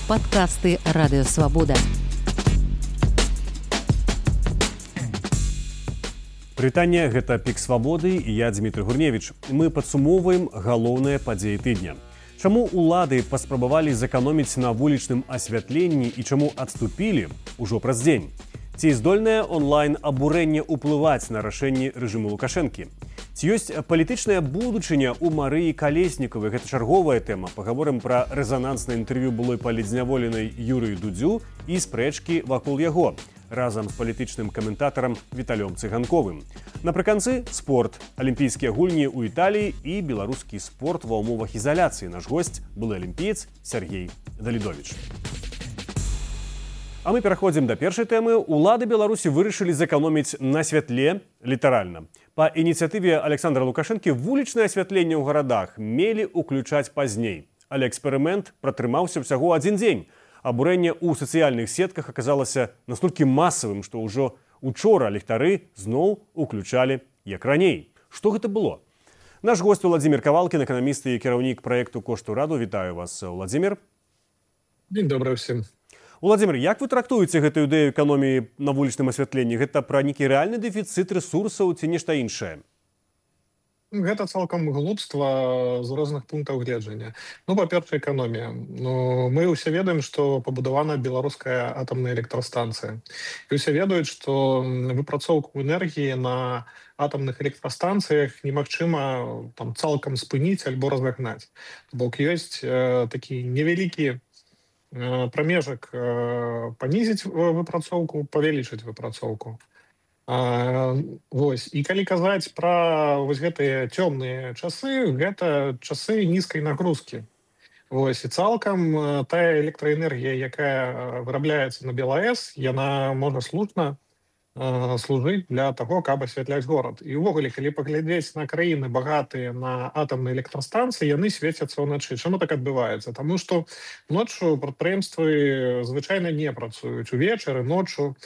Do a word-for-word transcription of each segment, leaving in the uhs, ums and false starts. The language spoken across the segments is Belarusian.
Падкасты Радыёвабода. Прывітанне, гэта Пік Свабоды і я Дмітрый Гурневіч. Мы падсумоўваем галоўныя падзеі тыдня. Чаму улады паспрабавалі зэканоміць на вулічным асвятленні і чаму адступілі ўжо праз дзень? Ці здольнае онлайн-абурэнне ўплываць на рашэнні рэжыму Лукашэнкі? Ці ёсць палітычная будучыня ў Марыі Калеснікавай? Гэта чарговая тэма. Пагаворым пра рэзананснае інтэрв'ю былой палітзняволенай Юрыю Дудзю і спрэчкі вакол яго разам з палітычным каментатарам Віталём Цыганковым. Напрыканцы спорт, алімпійскія гульні ў Італіі і беларускі спорт ва ўмовах ізаляцыі. Наш госць былы алімпіец Сергей Далідовіч. А мы пераходзім да першай тэмы. Улады Беларусі вырашылі зэканоміць на святле, літаральна. Па ініцыятыве Александра Лукашэнкі вулічнае асвятленне ў гарадах мелі ўключаць пазней. Але эксперымент пратрымаўся ўсяго адзін дзень. Абурэнне ў сацыяльных сетках аказалася настолькі масавым, што ўжо учора ліхтары зноў уключалі як раней. Што гэта было? Наш госць Владзімір Кавалкін, эканаміст і кіраўнік праекту «Кошт ураду». Вітаю вас, Владзімір. Дзень добры ўсім. Владзімір, як вы трактуеце гэтую ідэю эканоміі на вулічным асвятленні? Гэта пра нейкі рэальны дэфіцыт рэсурсаў ці нешта іншае? Гэта цалкам глупства з розных пунктаў гледжання. Ну, па-першае, эканомія. Ну, мы ўсе ведаем, што пабудавана беларуская атамная электрастанцыя. І ўсе ведаюць, што выпрацоўку энергіі на атамных электрастанцыях немагчыма там цалкам спыніць альбо разагнаць. Бок ёсць э, такі невялікі прамежак панізіць выпрацоўку, павялічыць выпрацоўку. А, вось. І калі казаць пра вось гэтыя цёмныя часы, гэта часы нізкай нагрузкі. Вось. І цалкам тая электраэнергія, якая вырабляецца на БелАЭС, яна можа слушна служыць для таго, каб асвятляць горад. І ўвогуле, калі паглядзець на краіны багатыя на атамныя электрастанцыі, яны свецяцца ўначы. Чаму так адбываецца? Таму што ноччу прадпрыемствы звычайна не працуюць. Увечары, ноччу,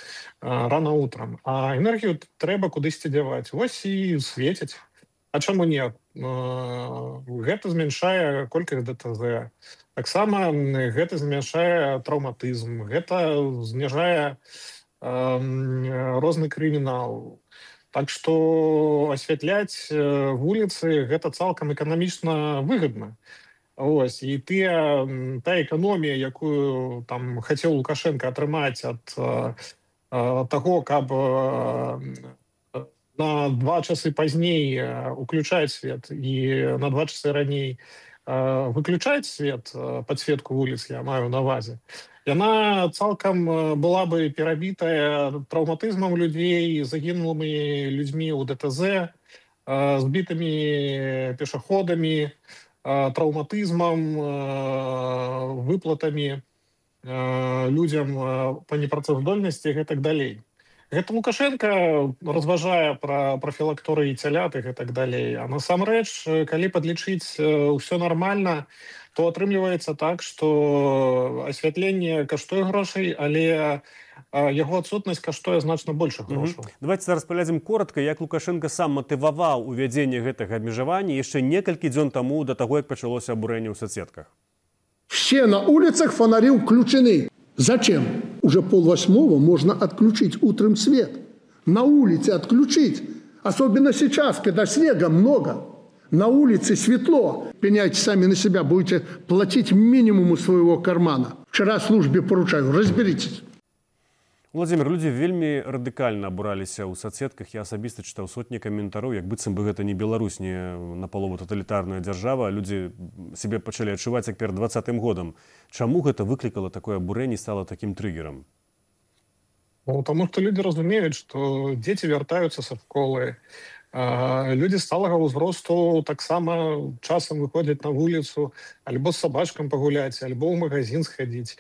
рана утрам. А энергію трэба кудысьці дзяваць. Вось і свецяць. А чаму не? Гэта змяншае колькасць ДТЗ. Таксама гэта змяншае траўматызм. Гэта зніжае розны крымінал. Так што асвятляць вуліцы гэта цалкам эканамічна выгадна. Ось. І тыя, та эканомія, якую там хацеў Лукашенко атрымаць ад таго, каб на два часы пазней уключаць свет і на два часы раней выключаць свет, падсветку вуліц, я маю на ўвазе, яна цалкам была бы перабітая траўматызмам людзей, загінулымі людзьмі ў ДТЗ, збітымі пешаходамі, траўматызмам, выплатамі людзям па непрацаздольнасці і гэтак далей. Гэта Лукашенко разважае пра прафілакторыі цялят і гэтак далей. А насамрэч, калі падлічыць ўсё нармальна, то атрымліваецца так, што асвятленне каштуе грошай, але яго адсутнасць каштуе значна большых грошаў. Mm-hmm. Давайте зараз паглядзім коротка, як Лукашенко сам матываваў увядзенне гэтага абмежавання яшчэ некалькі дзён таму да таго, як пачалося абурэнне ў соцсетках. Все на улицах фонари включены. Зачем? Уже полвосьмого можно отключить утром свет. На улице отключить. Особенно сейчас, когда снега много. На улице светло. Пеняйте сами на себя, будете платить минимум из своего кармана. Вчера службе поручаю, разберитесь. Владзімір, людзі вельмі радыкальна абураліся ў соцсетках. Я асабіста чытаў сотні каментароў, як быццам бы гэта не Беларусь, не напалову таталітарная дзяржава. Людзі сябе пачалі адчуваць як перад дваццатым годам. Чаму гэта выклікала такое абурэнне і стала такім трыгерам? Ну, таму што людзі разумеюць, што дзеці вяртаюцца са школы. Людзі сталага ўзросту таксама часам выходзяць на вуліцу, альбо з сабачкам пагуляць, альбо ў магазин схадзіць.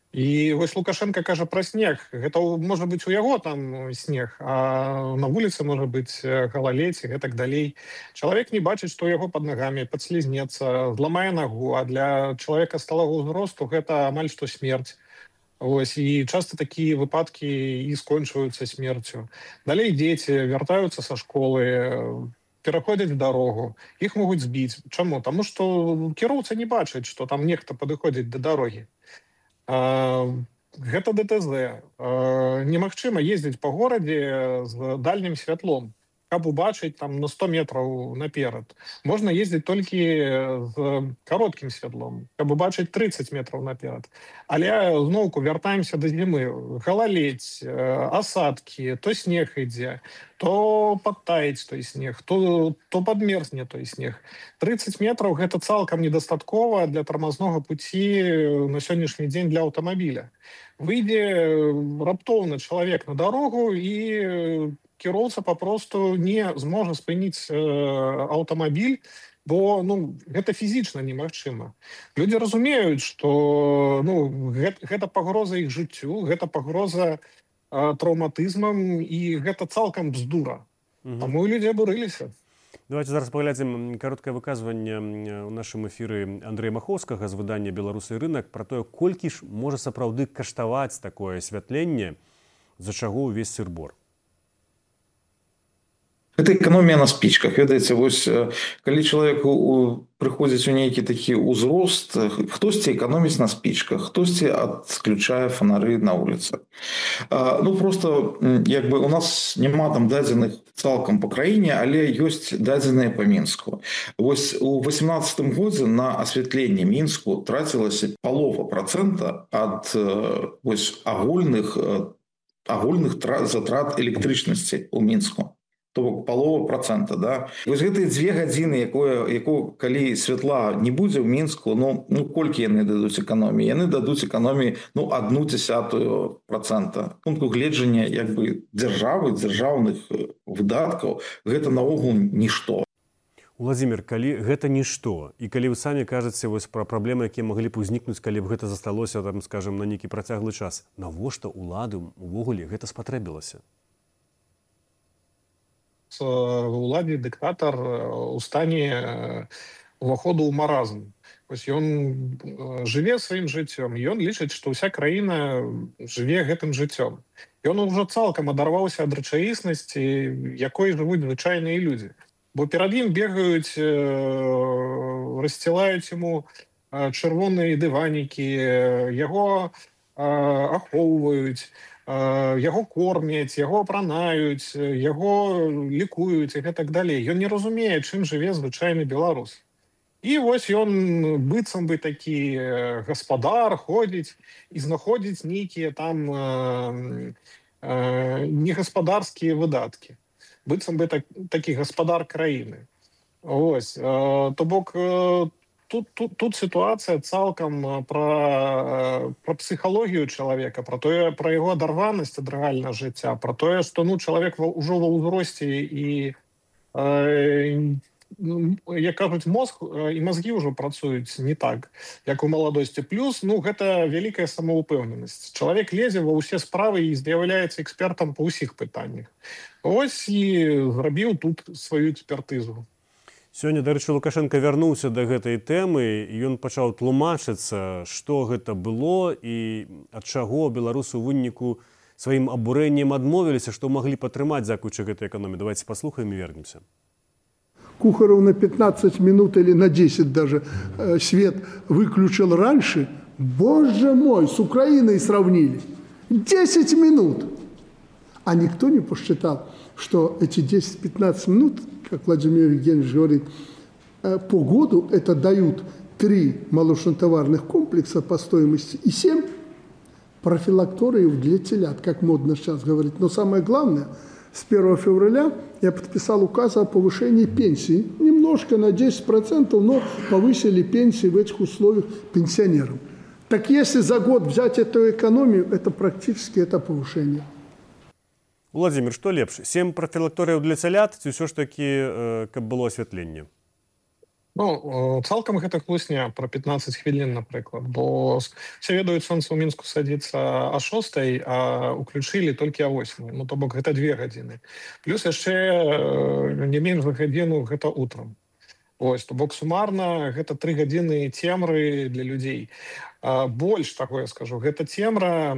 І вось Лукашенко кажа пра снег. Гэта можа быць у яго там снег, а на вуліцы можа быць галаледзь і гэтак далей. Чалавек не бачыць, што яго пад нагамі, падслізнецца, зламае нагу, а для чалавека сталага ўзросту гэта амаль што смерць. Ось, і часта такія выпадкі і скончваюцца смерцю. Далей дзеці вяртаюцца са школы, пераходзяць дарогу, іх могуць збіць. Чаму? Таму што кіроўца не бачыць, што там нехта падыходзіць да дарогі. Гэта ДТЗ. Немагчыма ездзіць па горадзе з дальнім святлом, каб убачыць там на сто метраў наперад. Можна ездзіць толькі з кароткім святлом, каб убачыць трыццаць метраў наперад. Але зноўку вяртаемся да зімы. Галаледзь, асадкі, то снег ідзе, то падтаіць той снег, то, то падмерзне той снег. трыццаць метраў гэта цалкам недастаткова для тармазнога пуці на сённяшні дзень для аўтамабіля. Выйдзе раптоўна чалавек на дарогу і кіроўца папросту не зможа спыніць э, аўтамабіль, бо ну, гэта фізічна немагчыма. Людзі разумеюць, што ну, гэта, гэта пагроза іх жыццю, гэта пагроза э, траўматызмам, і гэта цалкам бздура. Угу. Таму людзі абурыліся. Давайте зараз паглядзім кароткае выказванне ў нашым эфіры Андрэя Махоўскага з выдання «Беларусы і рынак» пра тое, колькі ж можа сапраўды каштаваць такое асвятленне, за чаго ўвесь сыр-бор. Это экономія на спічках. Ведаеце, вось, калі чалавеку прыходзіць у нейкі такі ўзрост, хтосьці эканоміць на спічках, хтосьці адключае фонары на вуліцах. Ну, просто, як бы, у нас няма там дадзеных цалкам па краіне, але ёсць дадзеныя па Мінску. Вось у восемнадцатым годзе на асвятленне Мінску трацілася палова працэнта ад вось агульных, агульных затрат электрычнасці ў Мінску. То бок палова працэнта, да. Вось гэтыя дзве гадзіны, якое, якое, калі святла не будзе ў Мінску, ну, ну колькі яны дадуць эканоміі? Яны дадуць эканоміі, ну, адну дзясятую працэнта. Пункту гледжання, як бы, дзяржавы, дзяржаўных выдаткаў, гэта наогул нішто. Уладзімір, калі гэта нішто, і калі вы самі кажаце вось пра праблемы, якія маглі б узнікнуць, калі б гэта засталося, там, скажем, на нейкі працяглы час, навошта ўлады увогуле гэта спатрэбілася? Уладзе дыктатар у стане уваходу ў маразм. Вось ён жыве сваім жыццём, ён лічыць, што ўся краіна жыве гэтым жыццём. Ён ужо цалкам адарваўся ад рэчаіснасці, якой жывуць звычайныя людзі. Бо перад ім бегаюць, рассцілаюць яму чырвоныя дыванікі, яго ахоўваюць, яго кормяць, яго апранаюць, яго лікуюць і гэтак далей. Ён не разумее, чым жыве звычайны беларус. І вось ён быццам бы такі гаспадар ходзіць і знаходзіць нейкія там э, э, негаспадарскія выдаткі. Быццам бы так, такі гаспадар краіны. Ось, э, то бок э, Тут, тут, тут ситуация цалкам про, про психологию человека, про, то, про его оторванность от реального життя, про то, что ну, человек уже в узросте и, э, як кажуть, мозг и мозги уже працують не так, як у молодости. Плюс, ну, это великая самоупевненность. Человек лезе во все справы и з'является экспертом по усіх питаннях. Ось и зрабіў тут свою экспертизу. Сёння, дарэчы, Лукашенко вярнуўся да гэтай тэмы, і ён пачаў тлумачыцца, што гэта было і ад чаго беларусы ў выніку сваім абурэннем адмовіліся, што маглі падтрымаць дзякуючы гэтай эканоміі. Давайте паслухаем і вернемся. Кухаров на пятнадцать минут или на десять даже э, свет выключил раньше. Боже мой, с Украиной сравнили. десять минут. А никто не посчитал, что эти десять-пятнадцать минут, как Владимир Евгеньевич говорит, по году это дают три молочнотоварных комплекса по стоимости и семь профилакториев для телят, как модно сейчас говорить. Но самое главное, с первого февраля я подписал указ о повышении пенсии. Немножко на десять процентов, но повысили пенсии в этих условиях пенсионерам. Так если за год взять эту экономию, это практически это повышение. Владимир, што лепш? Сем профілакторыяў для цялят ці ўсё ж такі, каб было асвятленне? Ну, цалкам гэта хлусня пра пятнадцать хвілін, напрыклад, бо все ведаюць, сонца ў Мінску садзіцца а шостай, а уключылі толькі а восьмай. Ну, то бок гэта две гадзіны. Плюс яшчэ не менш за гадзіну гэта утрам. Ось, то бок сумарна гэта тры гадзіны цемры для людзей. Больш таго я скажу, гэта цемра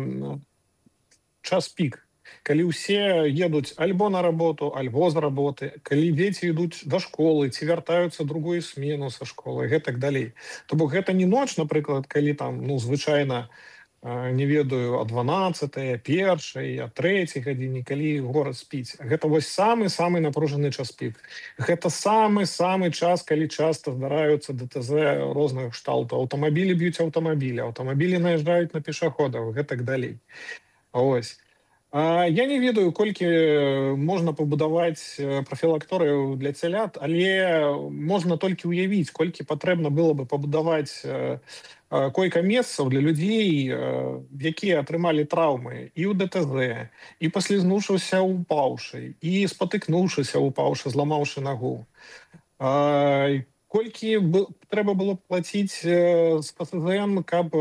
час пік. Калі ўсе едуць альбо на работу, альбо з работы, калі дзеці ідуць да школы, ці вяртаюцца другую смену са школы, гэтак далей. То бок гэта не ноч, напрыклад, калі там, ну, звычайна не ведаю, о дванаццатай, першай, о трэцяй гадзіне, калі горад спіць. Гэта вось самы-самы напружаны час пік. Гэта самы-самы час, калі часта здараюцца ДТЗ розных кшталтаў. Аўтамабілі б'юць аўтамабілі, аўтамабілі наязджаюць на пешаходаў, гэтак далей. Ось. А я не ведаю, колькі можна пабудаваць прафілакторыяў для цялят, але можна толькі ўявіць, колькі патрэбна было бы пабудаваць койка-месцаў для людзей, якія атрымалі траўмы і ў ДТЗ, і паслізнуўшыся упаўшы, і спатыкнуўшыся упаўшы, зламаўшы нагу. Колькі трэба было плаціць з ПСЗН, каб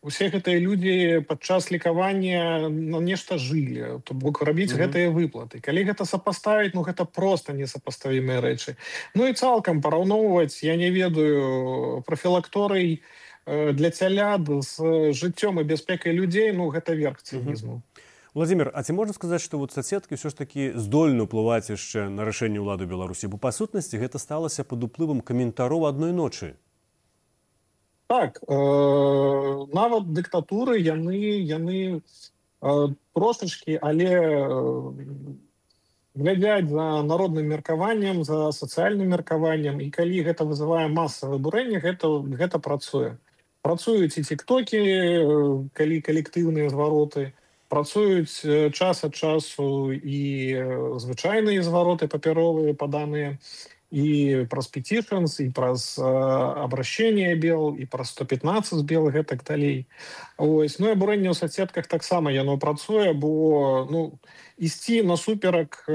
усе гэтыя людзі падчас лекавання на нешта жылі, то бок рабіць гэтыя выплаты. Калі гэта сапаставіць, ну гэта проста несапаставімыя рэчы. Ну і цалкам параўноўваць, я не ведаю, прафілакторый для цялят з жыццём і бяспекай людзей, ну гэта верх цынізму. Владимир, а ці можна сказаць, што вот соцсеткі ўсё ж такі здольны ўплываць яшчэ на рашэнне ўлады Беларусі? Бо па сутнасці гэта сталася пад уплывам каментароў адной ночы. Так, э, нават дыктатуры яны, яны э, трошачкі, але э, глядзяць за народным меркаваннем, за сацыяльным меркаваннем, і калі гэта вызывае масавае бурэнне, гэта, гэта працуе. Працуюць і тиктокі, калі калектыўныя звароты, працуюць час ад часу і звычайныя звароты папяровыя, паданыя, і праз петишнс, і праз абращение бел, і праз сто пятнадцать бел, гэтак далей. Ось. Ну і абурэнне ў соцсетках таксама яно працуе, бо ну, ісці насуперак э,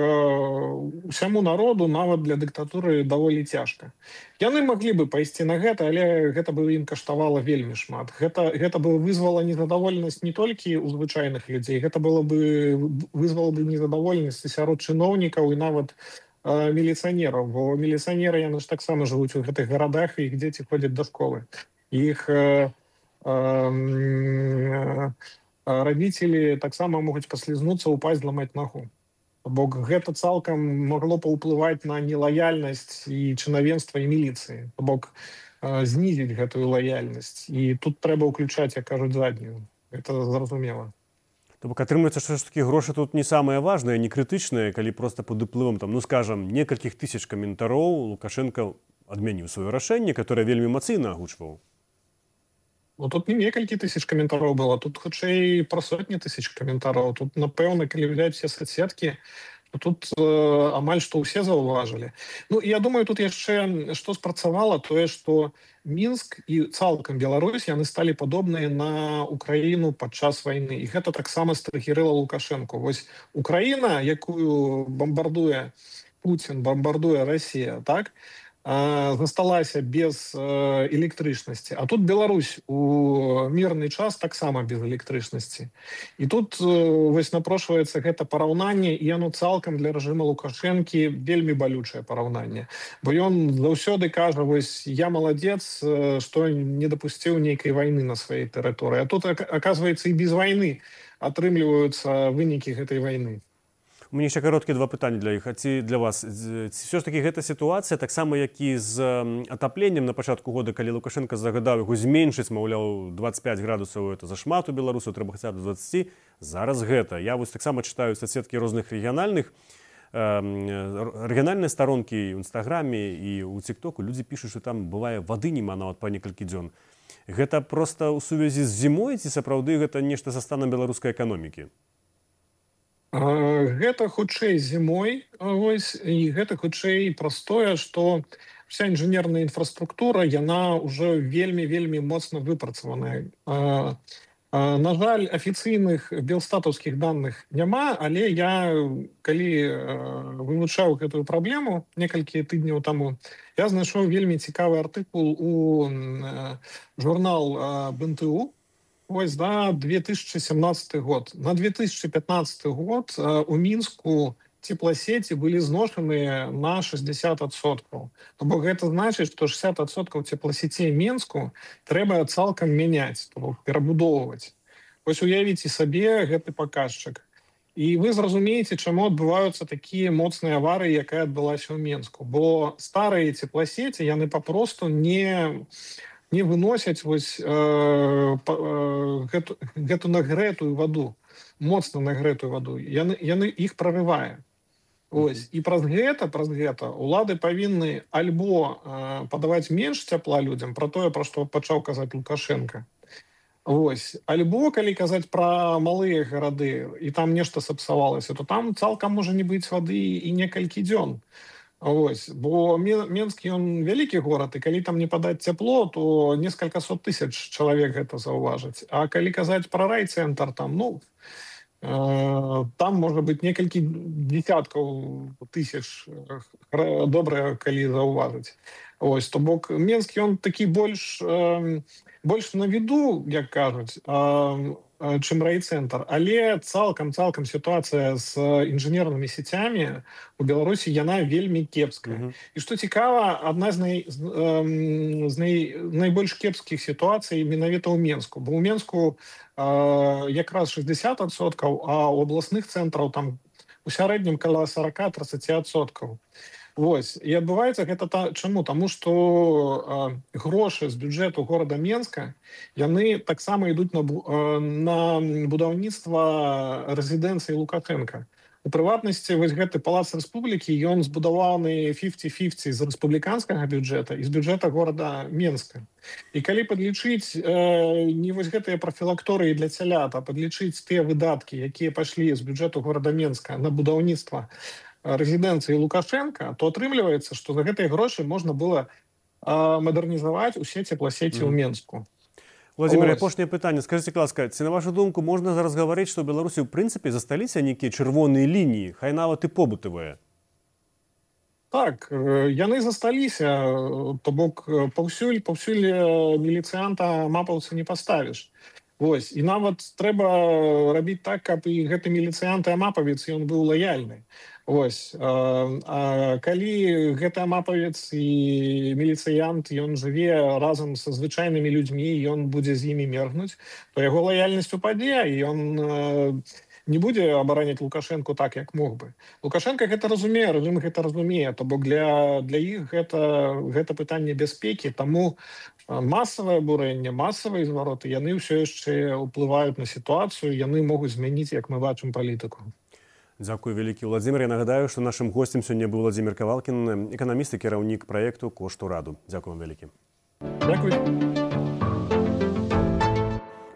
усяму народу нават для дыктатуры даволі цяжка. Яны маглі бы пайсці на гэта, але гэта бы ім каштавала вельмі шмат. Гэта, гэта бы вызвала незадаволенасць не толькі ў звычайных людзей, гэта было бы, вызвала бы незадаволенасць сярод чыноўнікаў і нават міліцыянераў, бо міліцыянеры яны ж таксама жывуць у гэтых гарадах, і іх дзеці ходзяць да школы. Іх э, э, радзіцелі таксама могуць паслізнуцца, упасть, зламаць нагу. Бо гэта цалкам магло паўплываць на нелаяльнасць і чынавенства і міліцыі. Бок э, знізіць гэтую лаяльнасць. І тут трэба ўключаць, як кажуць, заднюю. Гэта зразумела. То бок атрымліваецца, што ж такі грошы тут не самае важнае, не крытычнае, калі проста пад уплывам, там, ну скажам, некалькіх тысяч каментароў Лукашенко адмяніў сваё рашэнне, которое вельмі эмацыйна агучваў. Ну тут не некалькі тысяч каментароў было, тут хутчэй пра сотні тысяч каментароў. Тут, напэўна, калі взять все соцсеткі, тут э, амаль што ўсе заўважылі. Ну, я думаю, тут яшчэ што спрацавала, тое, што Мінск і цалкам Беларусь яны сталі падобныя на Украіну падчас вайны. І гэта таксама страхірыла Лукашенко. Вось Украіна, якую бомбардуе Путін, бомбардуе Расія, так, засталася без электрычнасці. А тут Беларусь у мірны час таксама без электрычнасці. І тут вось напрошваецца гэта параўнанне, і яно цалкам для рэжыма Лукашэнкі вельмі балючае параўнанне. Бо ён заўсёды кажа, вось я маладзец, што не дапусціў нейкай вайны на сваёй тэрыторыі. А тут, аказваецца, і без вайны атрымліваюцца вынікі гэтай вайны. У мяне яшчэ кароткія два пытанні для іх. А ці для вас? Все ж таки гэта сітуацыя, таксама як і з атапленнем на пачатку года, калі Лукашенко загадаў яго зменшыць, маўляў, двадцать пять градусаў, это зашмат у беларусаў, трэба хаця б двадцать. Зараз гэта. Я вось таксама чытаю соцсеткі розных рэгіянальных, рэгіянальныя старонкі ў Інстаграме і ў Тіктоку. Людзі пішуць, што там бывае вады няма нават па некалькі дзён. Гэта проста ў сувязі з зімой, ці сапраўды гэта нешта са станам беларускай эканомікі? Гэта хутчэй зімой, вось, і гэта хутчэй праз тое, што вся інжынерная інфраструктура, яна ўжо вельмі-вельмі моцна выпрацаваная. На жаль, афіцыйных белстатаўскіх даных няма, але я, калі вывучаў гэтую праблему некалькі тыдняў таму, я знайшоў вельмі цікавы артыкул у журнал БНТУ, ось, да, две тысячи семнадцатый год. На две тысячи пятнадцатый год э, у Мінску теплосети были зношены на шестьдесят адсоткаў. Бо гэта значыць, што шестьдесят адсоткаў теплосетей Мінску трэба цалкам мяняць, то бок перабудоўваць. Вось уявіце сабе гэты паказчык. І вы зразумееце, чаму адбываюцца такія моцныя аварыі, якая адбылася ў Мінску. Бо старыя теплосети, яны папросту не не выносяць вось э, па, э, гэту, гэту нагрэтую ваду, моцна нагрэтую ваду, яны, яны іх прорывае. Ось. І праз гэта, праз гэта улады павінны альбо э, падаваць менш цяпла людзям, пра тое, пра што пачаў казаць Лукашенко. Ось. Альбо, калі казаць пра малыя гарады, і там нешта сапсавалася, то там цалкам можа не быць вады і некалькі дзён. Ось. Бо Менск, ён вялікі горад, і калі там не падаць цяпло, то некалькі сот тысяч чалавек гэта заўважаць. А калі казаць пра райцэнтр, там, ну, там можа быць некалькі дзесяткаў тысяч, добра, калі заўважыць. Ось, то бок Менск, ён такі больш, больш на віду, як кажуць, чым райцэнтр. Але цалкам-цалкам сітуацыя з інжынернымі сецямі у Беларусі, яна вельмі кепская. Mm-hmm. І што цікава, адна з, най, з най, найбольш кепскіх сітуацый менавіта ў Менску. Бо ў Менску якраз шэсцьдзесят адсоткаў, а ў абласных цэнтраў там у сярэднім каля сорок до тридцати адсоткаў. Вось. І адбываецца гэта та, чаму? Таму што э, грошы з бюджэту горада Менска, яны таксама ідуць на, э, на будаўніцтва рэзідэнцыі Лукашенка. У прыватнасці, вось гэты палац рэспублікі, ён збудаваны пяцьдзесят на пяцьдесят з рэспубліканскага бюджэта і з бюджэта горада Менска. І калі падлічыць э, не вось гэтыя прафілакторыі для цялят, а падлічыць тыя выдаткі, якія пайшлі з бюджэту горада Менска на будаўніцтва рэзідэнцыі Лукашенка, то атрымліваецца, што за гэтыя грошы можна было э, мадэрнізаваць усе цепласеці ў Менску. Владимир, апошняе пытанне. Скажите, ласка, ці на вашу думку можна зараз гаварыць, што ў Беларусі ў прынцыпе засталіся нейкія чырвоныя лініі, хай нават і побытавыя? Так, яны засталіся, то бок паўсюль, паўсюль міліцыянта мапаўца не паставіш. Вось. І нават трэба рабіць так, каб і гэты міліцыянт і амапавец, ён быў лаяльны. Вось. А, а калі гэты амапавец і міліцыянт, ён жыве разам са звычайнымі людзьмі, ён будзе з імі мергнуць, то яго лаяльнасць упадзе, і ён не будзе абараняць Лукашенку так, як мог бы. Лукашенко гэта разумее, рэжым гэта разумее, то бок для, для іх гэта, гэта пытанне бяспекі, таму масавае абурэнне, масавыя звароты, яны ўсё яшчэ ўплываюць на сітуацыю, яны могуць змяніць, як мы бачым, палітыку. Дзякуй вялікі, Владимир. Я нагадаю, што нашым госцем сёння быў Владимир Кавалкін, эканаміст і кіраўнік праекту «Кошт ураду». Дзякуй вам вялікі. Дзякуй.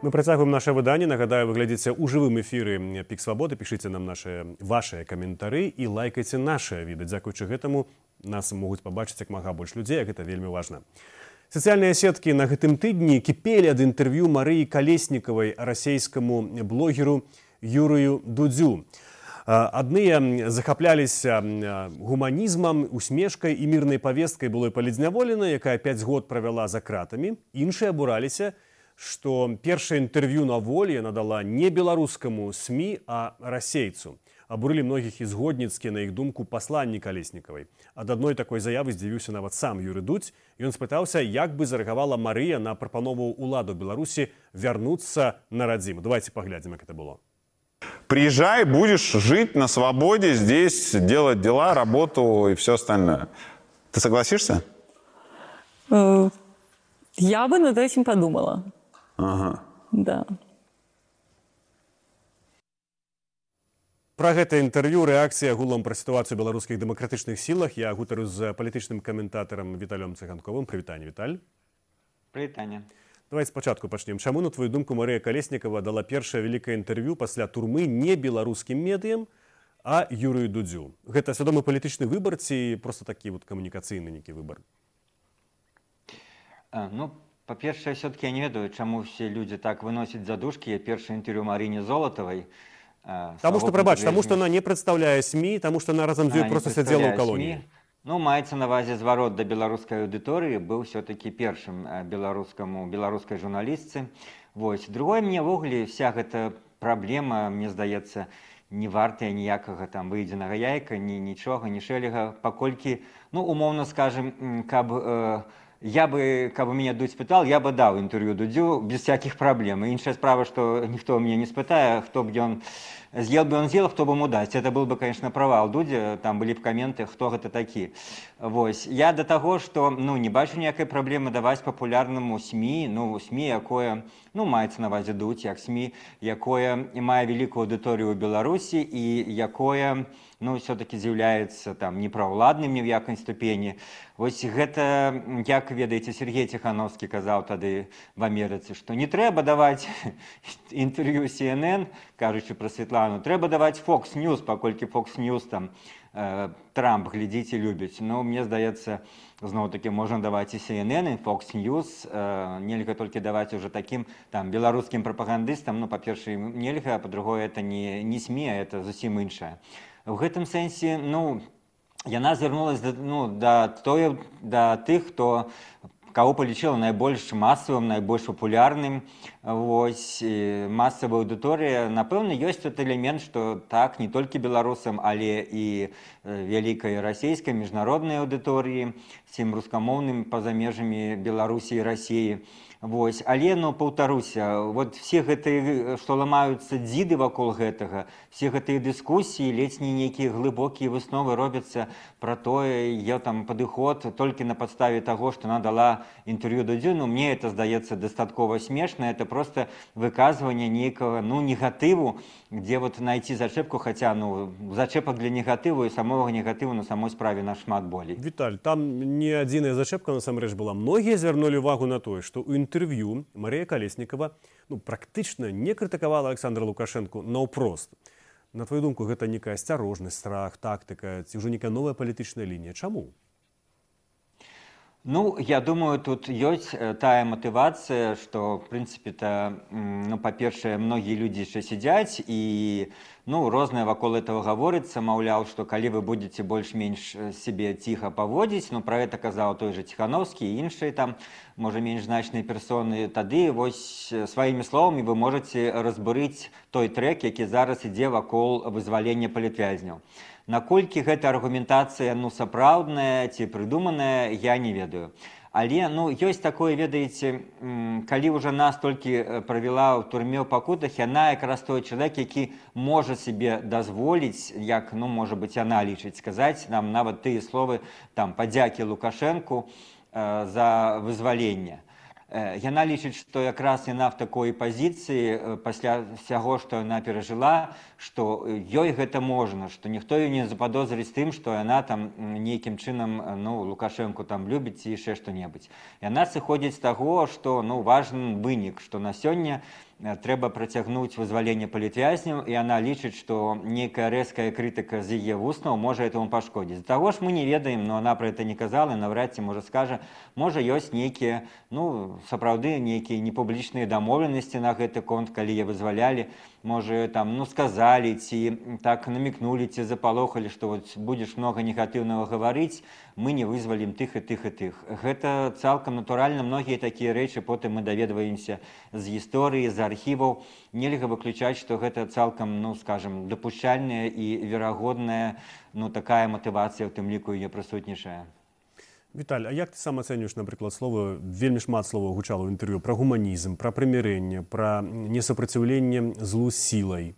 Мы працягваем наше выданне. Нагадаю, вы глядзіце ў жывым эфіры «Пік Свабоды». Пішыце нам нашы вашыя каментары і лайкайце нашыя відэа. Дзякуючы гэтаму нас могуць пабачыць як мага больш людзей, а гэта вельмі важна. Сацыяльныя сеткі на гэтым тыдні кіпелі ад інтэрв'ю Марыі Калеснікавай расейскаму блогеру Юрыю Дудзю. Адныя захапляліся гуманізмам, усмешкай і мірнай павесткай былой палідзняволенай, якая пяць год правяла за кратамі. Іншыя абураліся, што першае інтэрв'ю на волі надала не беларускаму СМІ, а расейцу. Абурылі многіх і згодніцкія, на іх думку, пасланні Калеснікавай. Ад адной такой заявы здзівіўся нават сам Юрый Дудзь. Ён спытаўся, як бы зарэагавала Марыя на прапанову ўладу Беларусі вярнуцца на радзіму. Давайте поглядим, как это было. Приезжай, будешь жить на свободе, здесь делать дела, работу и все остальное. Ты согласишься? Я бы над этим подумала. Ага. Да. Пра гэта інтэрв'ю, рэакцыя агулам пра сітуацыю ў беларускіх дэмакратычных сілах. Я гутарю з палітычным каментатарам Віталём Цыганковым. Прывітанне, Віталь. Прывітанне. Давайте спачатку пачнем. Чаму, на твою думку, Марыя Калеснікава дала першае вялікае інтэрв'ю пасля турмы не беларускім медыям, а Юрыю Дудзю? Гэта свядомы палітычны выбар ці проста такі вот камунікацыйны нейкі выбар? Ну, па-першае, все-таки я не ведаю, чаму все людзі так выносяць задушкі. Першае інтэрв'ю Марыне Золатавай. Таму што, прабач, таму што она не прадстаўляе СМІ, таму што она разам з ёй проста сядзела ў калоніі. Ну, маецца на ўвазе зварот да беларускай аўдыторыі, быў все-таки першым беларускаму, беларускай журналістцы. Вось. Другое, мне ўвогуле вся гэта праблема, мне здаецца, не вартая ніякага там выедзенага яйка, ні нічога, ні шэлега, паколькі, ну, умоўна скажем, каб э, я бы, каб мяне Дудь спытал, я бы даў інтэрв'ю Дудзю без всяких праблем. Іншая справа, што ніхто мяне не спытае, хто б ён съел бы он з'ел, хто бы ему даць. Это был бы, конечно, провал Дудзя, там былі б каменты, хто гэта такі. Вось. Я да таго, што ну, не бачу ніякай праблемы даваць папулярнаму СМІ, ну, СМІ, якое, ну, маецца на ўвазе Дудзь, як СМІ, якое мае вялікую аўдыторыю ў Беларусі і якое, ну, все-таки з'яўляецца там непраўладным ні в якай ступені. Вось гэта, як ведаеце, Сергей Ціхановскі казаў тады в Амерыцы, што не трэба даваць інтэрв'ю Си Эн Эн, кажучы пра Святлану, трэба даваць Fox News, паколькі Fox News там э, Трамп, глядзіце, любіць. Ну, мне здаецца, зноў-такі можна даваць і Си Эн Эн, і Fox News, э, нельга толькі даваць уже такім там беларускім прапагандыстам, ну, па-першае, нельга, а па-другое, это не, не СМІ, а это зусім іншае. В гэтым сэнсе, ну, яна звярнулася да, ну, да, тое, да тых, хто каго палічыла найбольш масавым, найбольш папулярным. Вось, масавая аўдыторыя. Напэўна, ёсць тут элемент, што так, не толькі беларусам, але і вялікай расійскай міжнароднай аўдыторыі, всім рускамоўным па-за межамі Беларусі і Расіі. Вось. Але, ну, паўтаруся, вот все гэтыя, што ламаюцца дзіды вакол гэтага, все гэтыя дыскусіі, ледзь не нейкія глыбокія высновы робяцца пра тое, я там падыход толькі на падставе таго, што она дала інтэрв'ю Дудзю, ну, мне это здаецца дастаткова смешна, это просто выказванне нейкага, ну, негатыву, где вот найти зачэпку, хаця, ну, зачэпак для негатыву і самога негатыву на самой справе нашмат болей. Віталь, там не адзіная зачэпка насамрэч была. Многія звярнулі увагу на тое, што ў інтэрв'ю Марія Калеснікава ну, практычна не крытыкавала Александра Лукашэнку наўпрост. На твою думку, гэта некая асцярожнасць, страх, тактыка, ці ўжо некая новая палітычная лінія. Чаму? Ну, я думаю, тут ёсць тая матывацыя, што, в прынцыпе-то, ну, па-першае, многія людзі яшчэ сядзяць і ну, рознае вакол этого гаворыцца, маўляў, што калі вы будзеце больш-менш сябе ціха паводзіць, ну, пра гэта казаў той жа Ціхановскі і іншыя там, можа, менш значныя персоны, тады вось сваімі словамі вы можаце разбурыць той трэк, які зараз ідзе вакол вызвалення палітвязняў. Наколькі гэта аргументацыя ну, сапраўдная ці прыдуманая, я не ведаю. Але ну, ёсць такое, ведаеце, калі ўжо нас толькі правяла ў турме ў пакутах, яна якраз той чалавек, які можа сябе дазволіць, як, ну, можа быць, яна лічыць, сказаць нам нават тыя словы там, падзякі Лукашэнку э, за вызваленне. Яна лічыць, што якраз яна в такой пазіцыі пасля всяго, што яна перажыла, што ёй гэта можна, што ніхто ёй не западозрыць тым, што яна там нейкім чынам ну, Лукашэнку там любіць ці яшчэ што-небудзь. Яна сыходзіць з таго, што ну, важны вынік, што на сёння трэба працягнуць вызваленне палітвязняў, і яна лічыць, што нейкая рэзкая крытыка з яе вуснаў можа этому пашкодзіць. З таго ж мы не ведаем, но она пра гэта не казала, наўрад ці можа скажа, можа ёсць нейкія, ну, сапраўды нейкія непублічныя дамоўленасці на гэты конт, калі яе вызвалялі, можа, там, ну, сказалі, ці так намікнулі, ці запалохалі, што вот будзеш многа негатыўнага гаварыць, мы не вызвалім тых і тых і тых. Гэта цалкам натуральна, многія такія рэчы потым мы даведваемся з гісторыі, з архіваў. Нельга выключаць, што гэта цалкам, ну, скажем, дапушчальная і верагодная, ну, такая матывацыя, у тым ліку яе прысутнічае. Віталь, а як ты сам ацэньваеш, напрыклад, слова, вельмі шмат слова гучала ў інтэрв'ю пра гуманізм, пра прымірэнне, пра несупраціўленне злу сілай?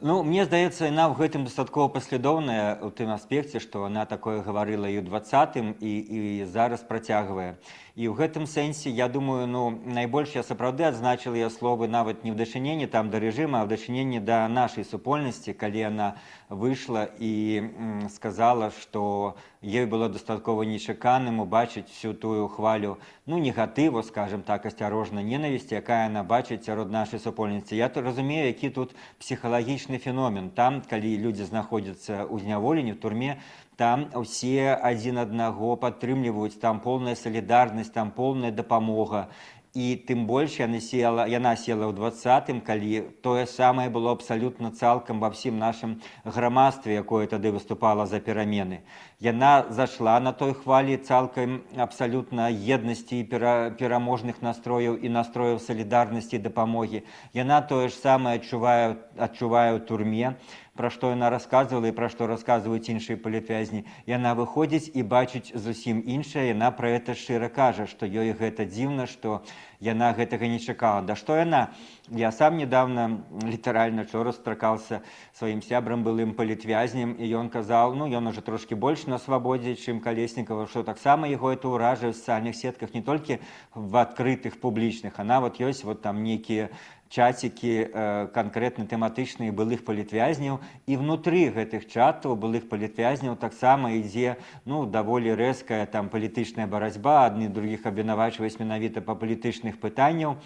Ну, мне здаецца, яна ў гэтым дастаткова паслядоўная ў тым аспекце, што яна такое гаварыла і ў двадцатым, і, і зараз працягвае. І ў гэтым сэнсе, я думаю, ну, найбольш я сапраўды адзначыла яе словы нават не ў дачыненні там да рэжыма, а ў дачыненні да нашай супольнасці, калі яна выйшла і м, сказала, што ёй было дастаткова нечаканым убачыць всю тую хвалю, ну, негатыву, скажем так, асцярожна, ненавісці, якая яна бачыць сярод нашай супольнасці. Я то разумею, які тут псіхалагічны феномен. Там, калі людзі знаходзяцца ў зняволенні, в турме, там усе адзін аднаго падтрымліваюць, там поўная салідарнасць, там поўная дапамога. І тым больш яна села, яна села ў двадцатым, калі тое самае было абсалютна цалкам ва ўсім нашым грамадстве, якое тады выступала за перамены. Яна зашла на той хвалі цалкам абсалютна еднасці і пера, пераможных настрояў і настрояў салідарнасці і дапамогі. Яна тое ж самае адчувае, адчувае ў турме. пра што яна расказвала і пра што расказваюць іншыя палітвязні. Яна выходзіць і бачыць зусім іншае, яна пра гэта шчыра кажа, што ёй гэта дзіўна, што яна гэтага не чакала. Да што яна? Я сам недавно літаральна вчора сустракаўся сваім сябрам былым палітвязнем, і ён казаў, ну ён уже трошки больш на свабодзе, чым Калеснікава, што таксама яго это ўражае ў сацыяльных сетках не толькі в адкрытых публічных, а нават ёсць вот там нейкія чатики э, конкретно тэматычныя былых палітвязняў, і внутры гэтых чатаў былых палітвязняў таксама ідзе ну даволі рэзкая там палітычная барацьба, адны другіх абвінавачваюць менавіта па палітычных пытанняў,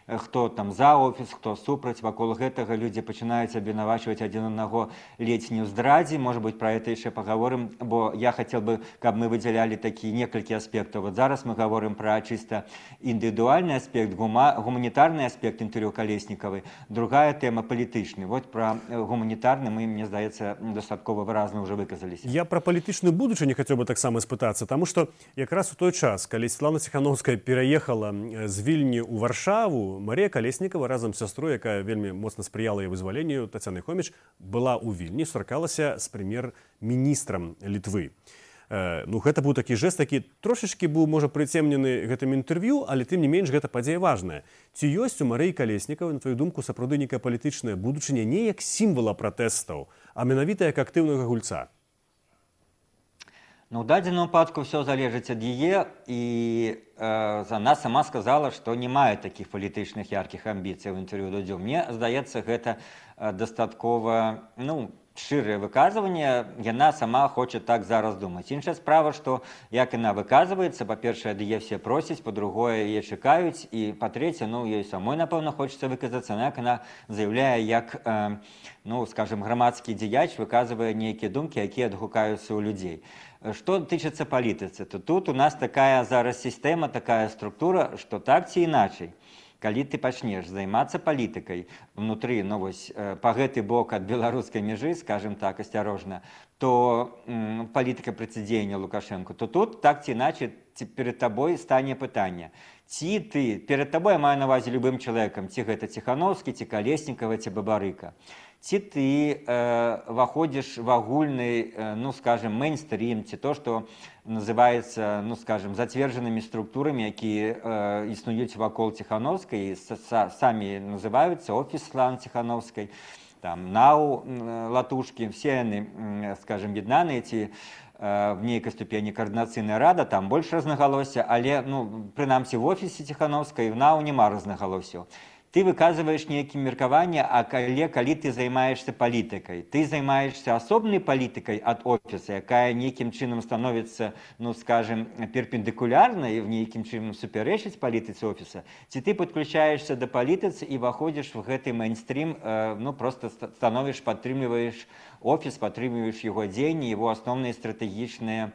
хто там за офіс, хто супраць, вакол гэтага людзі пачынаюць абвінавачваць адзін аднаго ледзь не ў здрадзе. Можа быць, пра гэта яшчэ паговорым, бо я хацеў бы, каб мы выдзялялі такі некалькі аспектаў. Вот зараз мы гаворым пра чыста індывідуальны аспект, гума, гуманітарны аспект інтэрв'ю Калеснікавай, другая тэма палітычны. Вот пра гуманітарны мы, мне здаецца, дастаткова выразна ўжо выказаліся. Я пра палітычную будучыню хацеў бы таксама спытацца, таму што якраз у той час, калі Святлана Ціхановская пераехала з Вільні ў Варшаву, Марія Калеснікава разам з сястрой, якая вельмі моцна спрыяла яе вызваленню, Тацянай Хоміч, была ў Вільні, сустракалася з прэм'ер-міністрам Літвы. Э, ну, гэта быў такі жэст, такі трошачкі быў, можа, прыцемнены гэтым інтэрв'ю, але тым не менш гэта падзея важная. Ці ёсць у Марыі Калеснікавай, на твою думку, сапраўды нейкая палітычная будучыня не як сімвала пратэстаў, а менавіта як актыўнага гульца? Ну, у дадзеным выпадку все залежыць ад яе, і э, она сама сказала, што не мае такіх палітычных яркіх амбіцый у інтэрв'ю Дудзю. Мне здаецца, гэта э, дастаткова ну, шчырае выказванне, яна сама хоча так зараз думаць. Іншая справа, што як яна выказваецца, па-першае, ад яе все просяць, па-другое, яе чакаюць, і па-трэцяе, ну, ёй самой, напэўна, хочацца выказацца, як яна заяўляе, як, э, ну, скажем, грамадскі дзеяч выказвае нейкія думкі, якія адгукаюцца ў людзей. Что тычыцца палітыцы, то тут у нас такая зараз сістэма, такая структура, што так ці іначай, калі ты пачнеш займацца палітыкай внутры, ну вось, па гэты бок ад беларускай мяжы, скажем так, асцярожна, то м, палітыка працэдзеяння Лукашэнку, то тут так ці іначай перед табой стане пытанне. Ці ты, перед табой я маю на ўвазе любым чалавекам, ці гэта Ціхановскі, ці Калеснікава, ці Бабарыка. Ці ты э, ваходзіш в агульны, э, ну, скажем, мейнстрим, ці то, што называецца, ну, скажем, зацверджанымі структурамі, якія э, існуюць вакол Ціхановскай, самі называюцца офіс Святланы Ціхановскай, там, НАУ, Латушкі, все яны, скажем, яднаныя, ці в нейкай ступені координацыйная рада, там больш рознагалосся, але, ну, прынамсі в офісе Ціхановскай в НАУ няма рознагалосся. Ты выказываешь нейкім меркаванне, а калі, калі ты займаешься палітыкай, ты займаешься асобнай палітыкай ад офіса, якая нейкім чынам становіцца, ну, скажем, перпендыкулярнай, в нейкім чынам супярэчыць палітыцы офіса, ці ты подключаешься да палітыцы і выходзіш в гэты мейнстрим, э, ну, просто становіш, падтрымліваеш офіс, падтрымліваеш яго дзеянні, яго асноўныя стратэгічныя,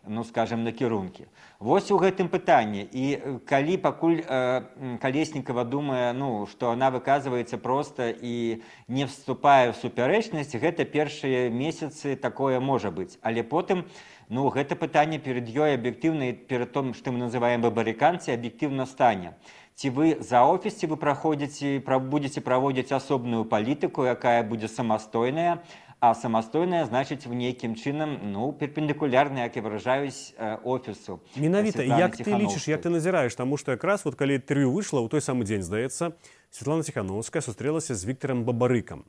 ну, скажем, накірункі. Вось у гэтым пытанні. І калі пакуль э, Калеснікава думае, ну, што она выказваецца проста і не вступае ў супярэчнасць, гэта першыя месяцы такое можа быць. Але потым, ну, гэта пытанне перед ёй аб'ектыўна, перед тым, што мы называем бабарыканцы, аб'ектыўна стане. Ці вы за офіс, ці вы праходзіце, будзеце праводзіць асобную палітыку, якая будзе самастойная, а самастойная, значыць, в нейкім чынам, ну, перпендыкулярна, як і выражаюсь, офісу. Менавіта, як ты лічыш, як ты назіраеш, таму што якраз вот калі інтэрв'ю выйшла, ў той самы дзень, здаецца, Святлана Ціхановская сустрэлася з Віктарам Бабарыкам.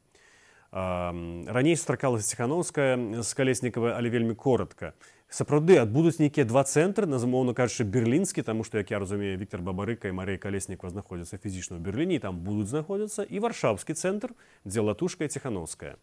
Раней сустракалася Ціхановская з Калеснікавай, але вельмі коротка. Сапраўды, адбудуць нейкія два цэнтры, назмоўна кажучы, берлінскі, таму што, як я разумею, Віктар Бабарыка і Марыя Калеснікава знаходзяцца фізічна ў Берліне, і там будуць знаходзіцца, і варшаўскі цэнтр, дзе Латушка і Ціхановская.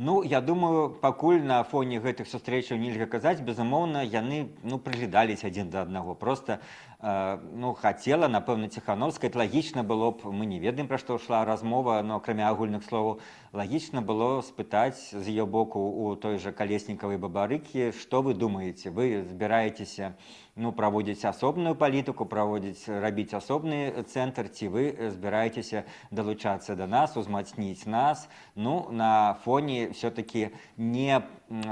Ну, я думаю, пакуль на фоне гэтых сустрэчаў нельга казаць, безумоўна, яны, ну, прыглядаліся адзін да аднаго. Просто, э, ну, хацела, напэўна, Ціхановская, лагічна было б, мы не ведаем, пра што ішла размова, но акрамя агульных словаў, лагічна было спытаць з яе боку у той жа Калеснікавай Бабарыкі, што вы думаеце, вы збіраецеся, ну, праводзіць асобную палітыку, праводзіць, рабіць асобны цэнтр, ці вы збіраецеся далучацца да нас, узмацніць нас, ну, на фоне все-таки не,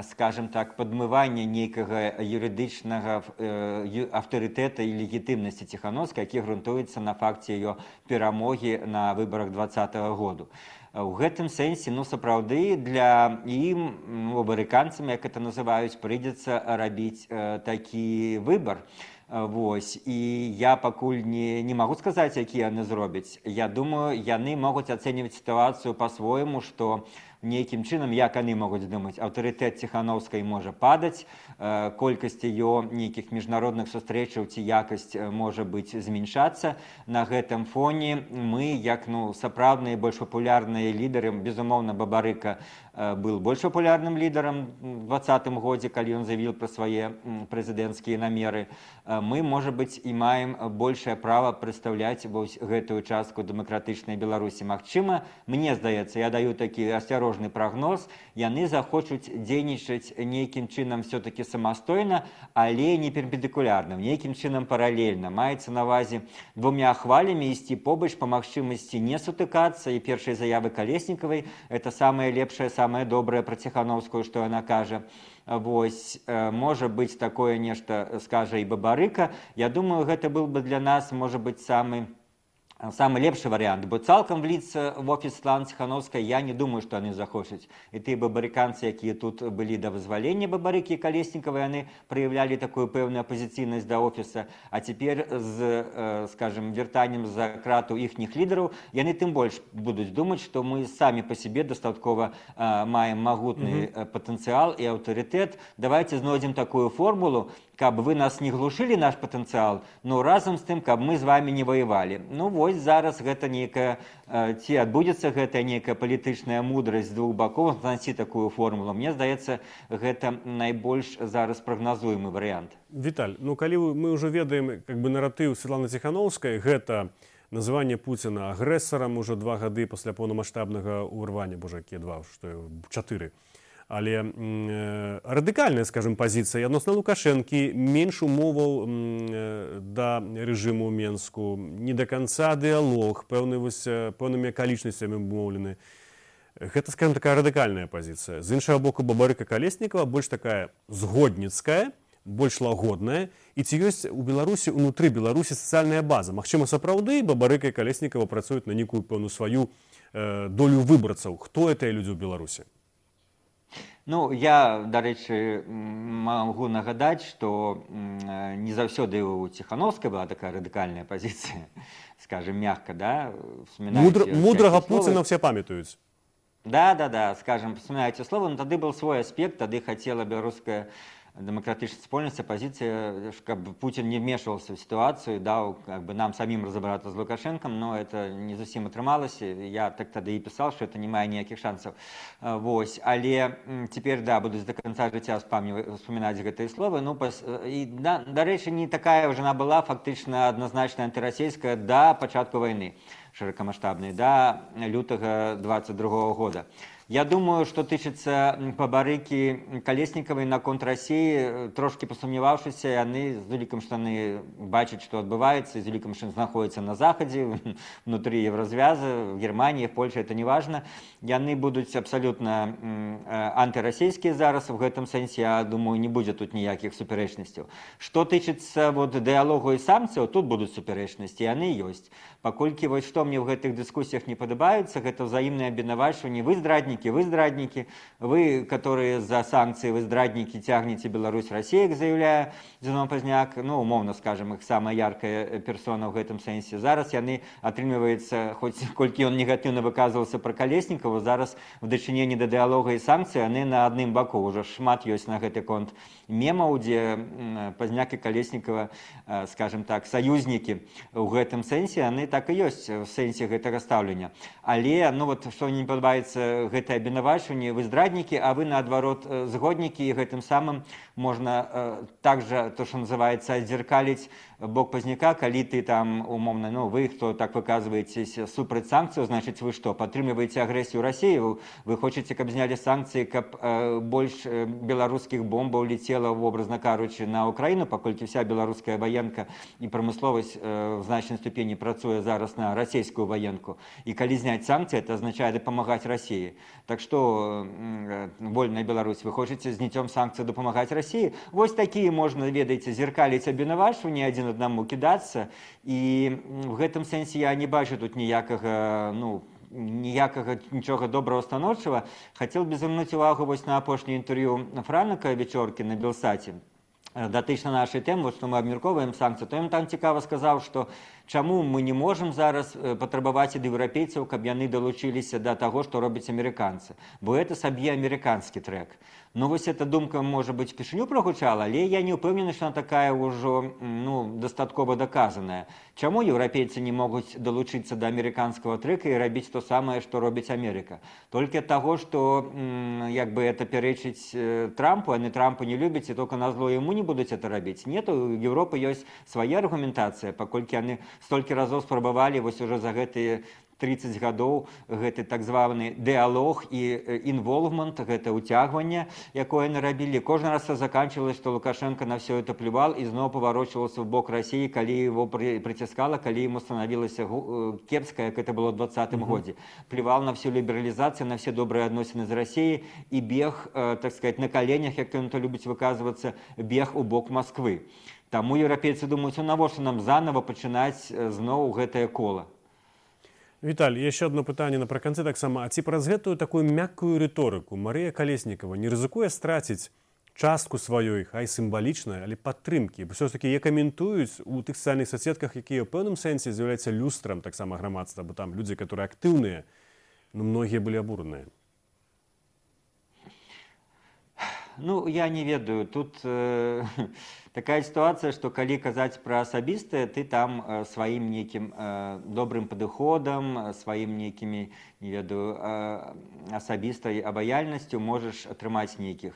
скажем так, падмывання нейкага юрыдычнага э, аўтарытэта і легітымнасці Ціхановскай, які грунтуюцца на факце ее перамогі на выбарах двадцатого году. У гэтым сэнсе, ну, сапраўды, для ім, ну, амерыканцам, як это называюць, прыйдзецца рабіць э, такі выбар. Вось. І я пакуль не, не магу сказаць, які яны зробяць. Я думаю, яны могуць ацэньваць сітуацыю па-свойму, што нейкім чынам, як яны могуць думаць, аўтарытэт Ціхановскай можа падаць, колькасць ее нейкіх міжнародных сустрэчаў ці якасць можа быць змяншацца. На гэтым фоне мы, як, ну, сапраўдныя больш папулярныя лідары, безумоўна, Бабарыка был больш папулярным лідарам у двадцатым годзе, калі ён заявіў пра свае прэзідэнцкія намеры. Мы, можа быць, і маем большае права прадстаўляць вось гэтую частку дэмакратычнай Беларусі. Магчыма, мне здаецца, я даю такі асцярожны прагноз, яны захочуць дзейнічаць нейкім чынам все-таки самастойна, але не перпендыкулярна, нейкім чынам паралельна. Маецца на ўвазе двумя хвалямі ісці побач, па магчымасці не сутыкацца, і першай заявы Калеснікавай это самае лепшае, самае добрае пра Ціхановскую, што яна кажа. Вось, можа быць, такое нешта скажа і Бабарыка. Я думаю, гэта был бы для нас, можа быць, самы самый лепшы варыянт, бо цалкам вліцца в офіс Светланы Ціхановскай я не думаю, што яны захочуць. І тыя бабарыканцы, якія тут былі да вызвалення Бабарыкі і Калеснікавай, яны праяўлялі такую пэўную апазіцыйнасць да офіса, а цяпер з, скажем, вяртаннем за крату іхніх лідараў, яны тым больш будуць думаць, што мы самі па сябе дастаткова маем магутны mm-hmm. патэнцыял і аўтарытэт. Давайте знойдзем такую формулу, каб вы нас не глушылі наш патэнцыял, но разам з тым, каб мы з вами не ваявалі. Ну вось зараз гэта нейкая, ці адбудзецца гэтая нейкая палітычная мудрасць з двух бакоў знайсці такую формулу. Мне здаецца, гэта найбольш зараз прагназуемы варыянт. Віталь, ну калі мы ўжо ведаем как бы наратыў Светланы Ціхановскай, гэта называнне Пуціна агрэсарам ужо два гады пасля поўнамаштабнага ўрвання, божа, якія два, што чатыры. Але э, радыкальная, скажем, пазіцыя адносна Лукашэнкі, менш умоваў э, да рэжыму ў Менску, не да канца дыялог, пэўны, вось, пэўнымі акалічнасцямі умоўлены. Гэта, скажем, такая радыкальная пазіцыя. З іншага боку, Бабарыка Калеснікава больш такая згодніцкая, больш лагодная. І ці ёсць у Беларусі, унутры Беларусі сацыяльная база? Магчыма, сапраўды Бабарыка і Калеснікава працуюць на нейкую пэўную сваю э, долю выбарцаў. Хто гэтыя людзі ў Беларусі? Ну, я, дарэчы, магу нагадаць, што не заўсёды у Ціхановскай была такая радыкальная пазіцыя, скажем, мягка, да? Мудр, мудрага Пуціна все памятаюць. Да, да, да, скажем, вспоминаете слово, но тады был свой аспект, тады хотела беларуская демократическая спольность, оппозиция, чтобы Путин не вмешивался в ситуацию, дал как бы нам самим разобраться с Лукашенком, но это не совсем отрымалось. Я так тогда и писал, что это не мае никаких шансов. Вот. Але теперь, да, буду до конца життя вспоминать гэтые слова. Ну, и, да, до речи, не такая уже она была, фактично однозначно антироссийская до початку войны широкомасштабной, до лютого двадцать другого года. Я думаю, что тычыцца Бабарыкі Калеснікавай наконт России, трошки посумневавшиеся, яны з улікам, што яны бачаць, што адбываецца, з улікам, што знаходзяцца на Захадзе, внутри Еврозвяза, в Германии, в Польше, это не важно. Яны будуць абсолютно антирассийские зараз, в гэтым сэнсе, я думаю, не будзе тут ніякіх супярэчнасцяў. Што тычыцца вот, дыялогу і санкцыяў, тут будуць супярэчнасці, яны ёсць. Паколькі вось што мне в гэтых дыскусіях не падабаецца, гэта ўзаемнае абвінавачванне, вы здраднікі, вы здраднікі, вы, которые за санкции, вы здраднікі, тягнете Беларусь, Россия, как заявляе Зенон Пазняк, ну, умовно скажем, их самая яркая персона в гэтым сэнсе. Зараз яны атрымліваецца, хоць колькі он негатыўна выказывался про Калеснікова, зараз в дачыненні да дыялога і санкцый яны на адным баку. Уже шмат ёсць на гэты конт мемаў, дзе Пазняк і Калеснікова, скажем так, саюзнікі ў гэтым сэнсе, яны так і ёсць в сэнсе гэтага стаўлення. Але, ну вот, што мне не падабаецца, гэта абвінавачванне, вы здраднікі, а вы, наадварот, згоднікі, і гэтым самым можна также, то, что называется, отзеркалить бок Пазняка, калі ты там, умовно, ну, вы, кто так выказываетесь супраць санкцыяў, значит, вы что, падтрымліваеце агрэсію России, вы, вы хочаце, каб знялі санкцыі, каб э, больш беларускіх бомбаў летела, образно кажучы, на Украину, паколькі вся беларуская военка і прамысловасць э, в значнай ступені працуе зараз на расійскую военку. І калі зняць санкцыі, это означает дапамагаць России. Так что, вольная Беларусь, вы хотите зняццём санкцый допомагаць России? Вось такие можно, ведаеце, зеркаліць абвінавачванні адзін аднаму кідацца. І в гэтым сэнсе я не бачу тут ніякага, ну, ніякага нічога добрага станоўчага. Хацеў бы звярнуць увагу вось на апошняе інтэрв'ю Франака Вечоркі на Белсаце датычна нашай тэмы, што мы абмяркоўваем санкцыі, то ён там цікава сказаў, што чаму мы не можам зараз патрабаваць ад еўрапейцаў, каб яны далучыліся да таго, што робяць амерыканцы, бо гэта сабе амерыканскі трэк. Ну вось эта думка, можа быць, кішыню прагучала, але я не ўпэўнены, што она такая ўжо, ну, дастаткова даказаная. Чаму еўрапейцы не могуць далучыцца да амерыканскага трэка і рабіць то самае, што робіць Амерыка? Толькі ад таго, што як бы это пярэчыць Трампу, яны Трампа не любяць, і толькі назло яму не будуць это рабіць. Нет, у Еўропы ёсць свая аргументацыя, паколькі яны столькі разоў спрабавалі вось уже за гэтыя тридцать гадоў гэты так званы дыалог і інволвмент, гэта ўцягванне, якое яны рабілі. Кожны раз заканчивалось, што Лукашенко на все это плювал і зноў паварочваўся ў бок России, калі его прыціскала, калі ему становілася кепска, як это было ў двадцатым годзе. Плювал на всю лібералізацыю, на все добрыя адносіны з Россией і бег, так сказать, на коленях, як ён то любіць выказвацца, бег у бок Москвы. Таму еўрапейцы думаюць, навошта нам заново пачынаць зноў гэтае кола. Віталь, яшчэ одно пытанне напрыканцы таксама. А ці праз гэтую такую мяккую рыторыку Марыя Калеснікава не рызыкуе страціць частку сваёй, хай сімвалічнай, але падтрымкі? Бо ўсё-такі я каментуюць у тых сацыяльных сетках, якія ў пэўным сэнсе з'яўляюцца люстрам таксама грамадства, бо там людзі, которые актыўныя, ну, многія былі абураныя. Ну, я не ведаю. Тут э, такая ситуация, что калі казаць про асабістае, ты там э, сваім нейкім э, добрым падыходам, сваім нейкімі, не ведаю, э, асабістай абаяльнасцю можаш атрымаць нейкіх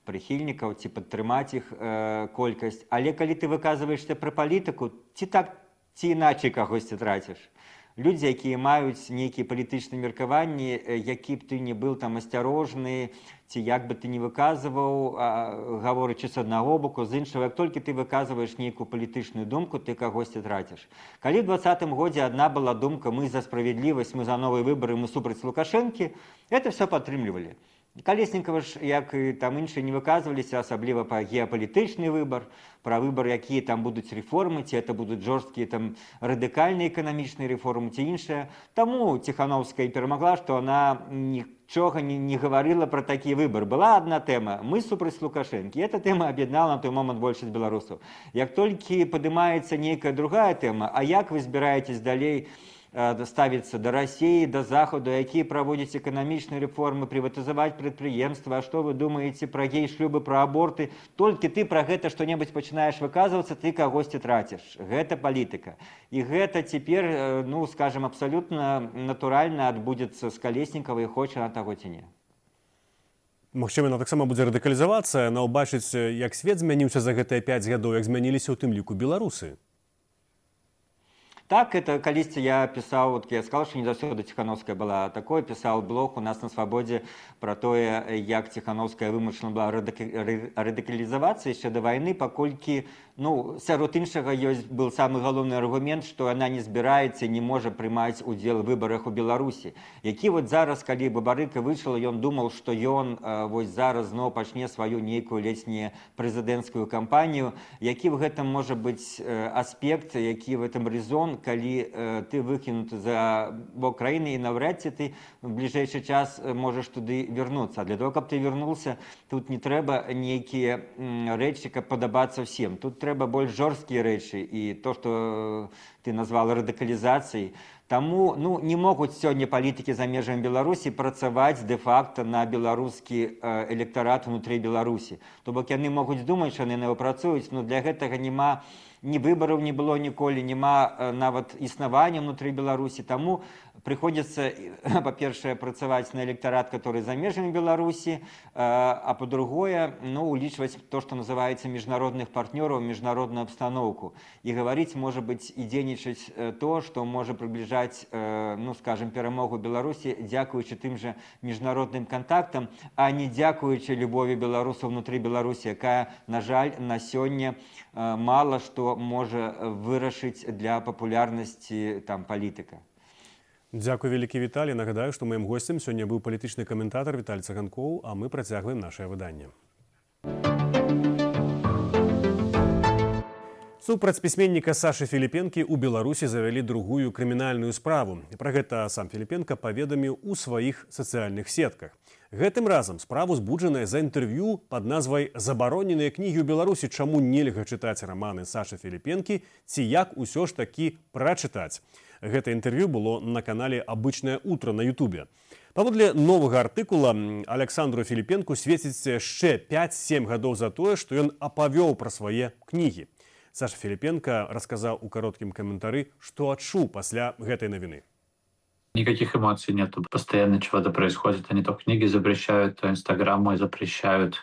прыхільнікаў ці падтрымаць іх э, колькасць. Але калі ты выказваешся пра палітыку, ці так, ці іначай кагосьці траціш. Людзі, якія маюць нейкія палітычныя меркаванні, які б ты не быў там асцярожны, ці як бы ты не выказваў, гаворачы з аднаго боку, з іншага, як толькі ты выказваеш нейкую палітычную думку, ты кагосьці траціш. Калі ў двадцатым годзе адна была думка, мы за справядлівасць, мы за новыя выбары, мы супраць Лукашэнкі, это все падтрымлівалі. Калеснікава ж, як і там іншыя, не выказваліся, асабліва па геапалітычны выбар, пра выбар, якія там будуць рэформы, ці это будуць жорсткія там радыкальныя эканамічныя рэформы, ці іншыя. Таму Ціхановская перамагла, што она нічога не, не гаварыла пра такі выбар. Была адна тэма, мы супраць Лукашэнкі. Эта тэма аб'яднала на той момант большасць беларусаў. Як толькі падымаецца нейкая другая тэма, а як вы збіраецесь далей ставіцца да России, да Захаду, якія праводзяць эканамічныя рэформы, прыватызаваць прадпрыемства, а што вы думаеце пра гей-шлюбы, пра аборты, толькі ты пра гэта што-небудзь пачынаеш выказвацца, ты кагосьці траціш. Гэта палітыка. І гэта цяпер, ну, скажем, абсалютна натуральна адбудзецца з Калеснікавай, хоча на таго ці не. Магчыма, яна таксама будзе радыкалізавацца, яна ўбачыць, як свет змяніўся за гэтыя пяць гадоў, як змяніліся ў тым ліку беларусы. Так, это калісьці я пісаў, вот я сказал, что не заўсёды Ціхановская была такой, пісаў блог у нас на Свабодзе про тое, як Ціхановская вымушана была радыкалізавацца яшчэ да вайны, паколькі, ну, сярод іншага ёсць был самы галоўны аргумент, што яна не збіраецца, не можа прымаць удзел у выбарах у Беларусі. Які вот зараз, калі Бабарыка выйшла, ён думаў, што ён вось зараз зноў пачне сваю нейкую ледзь прэзідэнцкую кампанію, які в гэтым можа быць аспект, які в этом резон, калі э, ты выкінуты за бок краіны і наўряд ці ты в бліжэйшы час можаш туды вярнуцца. А для того, каб ты вярнуўся, тут не трэба нейкія рэчы, каб падабацца ўсім. Тут трэба больш жорсткія рэчы і то, што ты назвала радыкалізацыяй. Таму, ну, не могуць сёння палітыкі за межамі Беларусі працаваць дэ-факта на беларускі электарат унутры Беларусі. То бок яны могуць думаць, што яны на яго працуюць, но для гэтага няма ні выбараў не было ніколі, няма нават існавання ўнутры Беларусі. Таму прыходзіцца, па-першае, працаваць на электарат, который за межамі Беларусі, а па-другое, ну, улічваць то, што называецца міжнародных партнёраў, міжнародную абстаноўку. І гаварыць, можа быць, і дзейнічаць то, што можа прыбліжаць, ну, скажем, перамогу Беларусі, дзякуючы тым жа міжнародным кантактам, а не дзякуючы любові беларусаў внутры Беларусі, якая, на жаль, на сёння мала што можа вырашыць для папулярнасці там палітыка. Дзякуй вялікі, Віталій. Нагадаю, што маім госцем сёння быў палітычны каментатар Віталій Цаганкоў, а мы працягваем нашае выданне. Супраць пісьменніка Сашы Філіпенкі ў Беларусі завялі другую крымінальную справу. Пра гэта сам Філіпенка паведаміў у сваіх сацыяльных сетках. Гэтым разам справу збуджаная за інтэрв'ю пад назвай «Забароненыя кнігі ў Беларусі. Чаму нельга чытаць раманы Сашы Філіпенкі ці як усё ж такі прачытаць». Гэта інтэрв'ю было на канале «Абычнае утро» на Ютубе. Паводле новага артыкула Александру Філіпенку свеціць яшчэ пяць-сем гадоў за тое, што ён апавёў пра свае кнігі. Саша Філіпенка расказаў у кароткім каментары, што адчуў пасля гэтай навіны. Никаких эмоций нету. Постоянно чего-то происходит. Они то книги запрещают, то Инстаграм мой запрещают.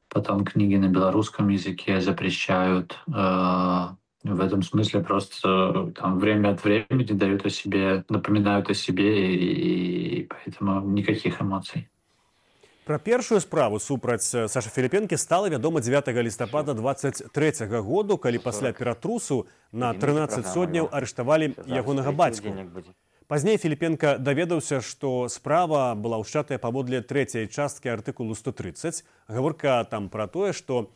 Потом книги на белорусском языке запрещают. В этом смысле просто там время от времени дают о себе, напоминают о себе, и, и поэтому никаких эмоций. Пра першую справу супраць Сашы Філіпенкі стала вядома дзевятага лістапада дваццаць трэцяга году, калі пасля ператрусу на трынаццаць сотняў арыштавалі ягонага бацьку. Пазней Філіпенка даведаўся, што справа была ўшчатая паводле трэцяй часткі артыкулу сто трыццаць. Гаворка там пра тое, што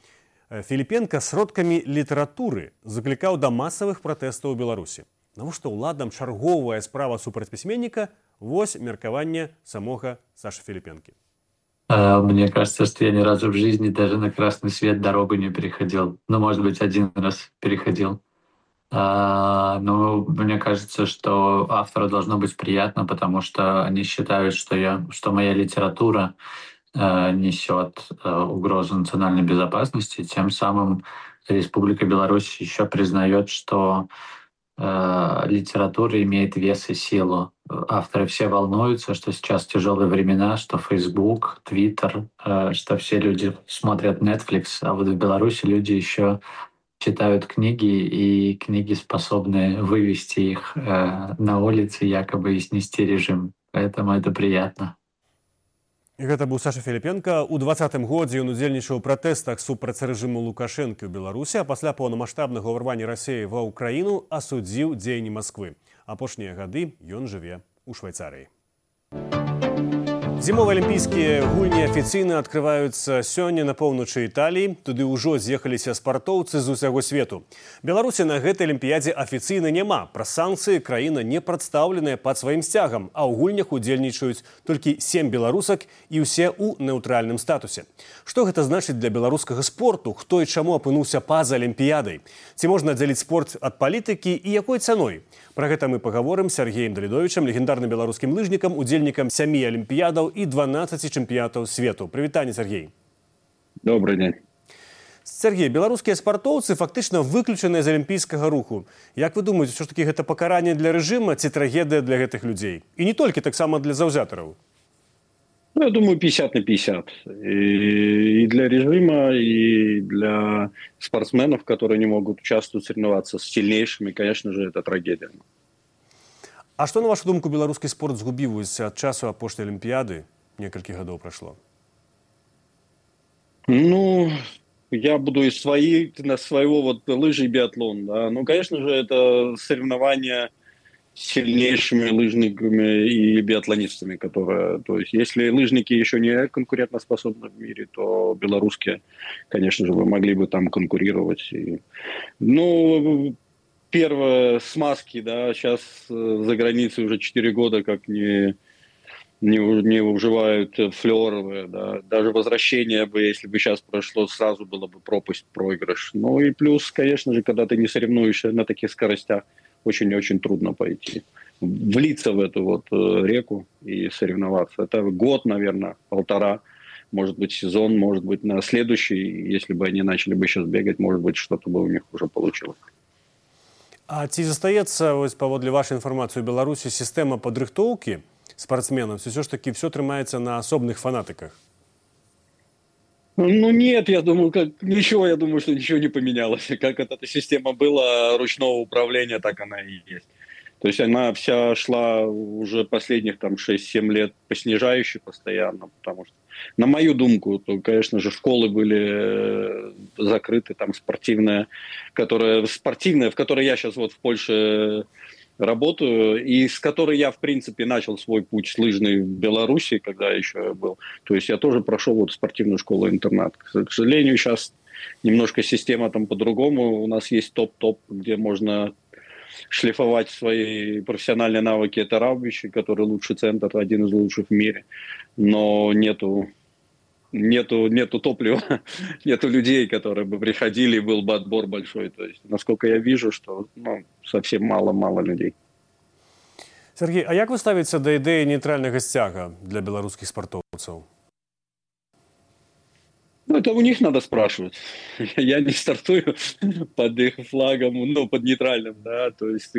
Філіпенка сродкамі літаратуры заклікаў да масавых пратэстаў у Беларусі. Навошта ўладам чарговая справа супраць пісьменніка? Вось меркаванне самога Сашы Філіпенкі. Мне кажется, что я ни разу в жизни даже на красный свет дорогу не переходил. Ну, может быть, один раз переходил. А, но мне кажется, что автору должно быть приятно, потому что они считают, что, я, что моя литература э, несет э, угрозу национальной безопасности. Тем самым Республика Беларусь еще признает, что э, литература имеет вес и силу. Авторы все волнуются, что сейчас тяжелые времена, что Facebook, Twitter, э, что все люди смотрят Netflix, а вот в Беларуси люди еще читают книги, и книги способны вывести их э, на улицы, якобы и снести режим. Поэтому это приятно. І гэта быў Саша Філіпенка. У двадцатым годзе ён удзельнічаў у пратэстах супраць рэжыму Лукашэнкі ў Беларусі, а пасля паўнамаштабнага ўварвання Расіі ва ўкраіну асудзіў дзеянні Масквы. Апошнія гады ён жыве ў Швайцарыі. Зімовыя алімпійскія гульні афіцыйна адкрываюцца сёння на поўначы Італіі. Туды ўжо з'ехаліся спартоўцы з усяго свету. Беларусі на гэтай алімпіядзе афіцыйна няма. Праз санкцыі краіна не прадстаўленая пад сваім сцягам, а ў гульнях удзельнічаюць толькі сем беларусак і ўсе ў неўтральным статусе. Што гэта значыць для беларускага спорту? Хто і чаму апынуўся па-за алімпіядай? Ці можна аддзяліць спорт ад палітыкі і якой цаной? Пра гэта мы пагаворым з Сергеем Давідовічам, легендарным беларускім лыжнікам, удзельнікам сямі алімпіядаў і дванаццаці чэмпіянатаў свету. Прывітанне, Сергей. Добрый день. Сергей, беларускія спартоўцы фактычна выключаныя з алімпійскага руху. Як вы думаеце, што ж такі гэта пакаранне для рэжыма ці трагедыя для гэтых людзей? І не толькі таксама для заўзятараў. Ну, я думаю, пятьдесят на пятьдесят. И, и для режима, и для спортсменов, которые не могут участвовать, соревноваться с сильнейшими, конечно же, это трагедия. А што, на вашу думку, беларускі спорт згубіўся ад часу апошняй алімпіяды? Некалькі гадоў прайшло. Ну, я буду из своей, на своего вот лыжи и биатлон. Да. Ну, конечно же, это соревнования с сильнейшими лыжниками и биатлонистами, которые, то есть, если лыжники еще не конкурентоспособны в мире, то белорусские, конечно же, вы могли бы там конкурировать. И, ну, первое, смазки, да, сейчас за границей уже четыре года как не, не, не уживают флёровые, да, даже возвращение бы, если бы сейчас прошло, сразу было бы пропасть, проигрыш. Ну и плюс, конечно же, когда ты не соревнуешься на таких скоростях, очень-очень трудно пойти, влиться в эту вот реку и соревноваться. Это год, наверное, полтора, может быть, сезон, может быть, на следующий, если бы они начали бы сейчас бегать, может быть, что-то бы у них уже получилось. А ці застаецца, ось паводле вашай інфармацыі, у Беларусі сістэма падрыхтоўкі спортсменаў, ці ўсё ж такі все трымаецца на асобных фанатыках? Ну нет, я думаю, как ничего, я думаю, что ничего не поменялось. Как эта система была ручного управления, так она и есть. То есть она вся шла уже последних там шесть-семь лет по снижающей постоянно, потому что, на мою думку, то, конечно же, школы были закрыты, там спортивная, которая, спортивная, в которой я сейчас вот в Польше работаю, и с которой я, в принципе, начал свой путь лыжный в Беларуси, когда еще был. То есть я тоже прошел вот спортивную школу-интернат. К сожалению, сейчас немножко система там по-другому. У нас есть топ-топ, где можно шлифовать свои профессиональные навыки. Это Раубичи, который лучший центр, один из лучших в мире. Но нету, нету, нету топлива, нету людей, которые бы приходили, и был бы отбор большой. То есть, насколько я вижу, что ну, совсем мало-мало людей. Сергей, а як ви ставіться до ідеї нейтрального стяга для белорусских спортовцев? Ну, это у них надо спрашивать. Я не стартую под их флагом, ну, под нейтральным, да, то есть,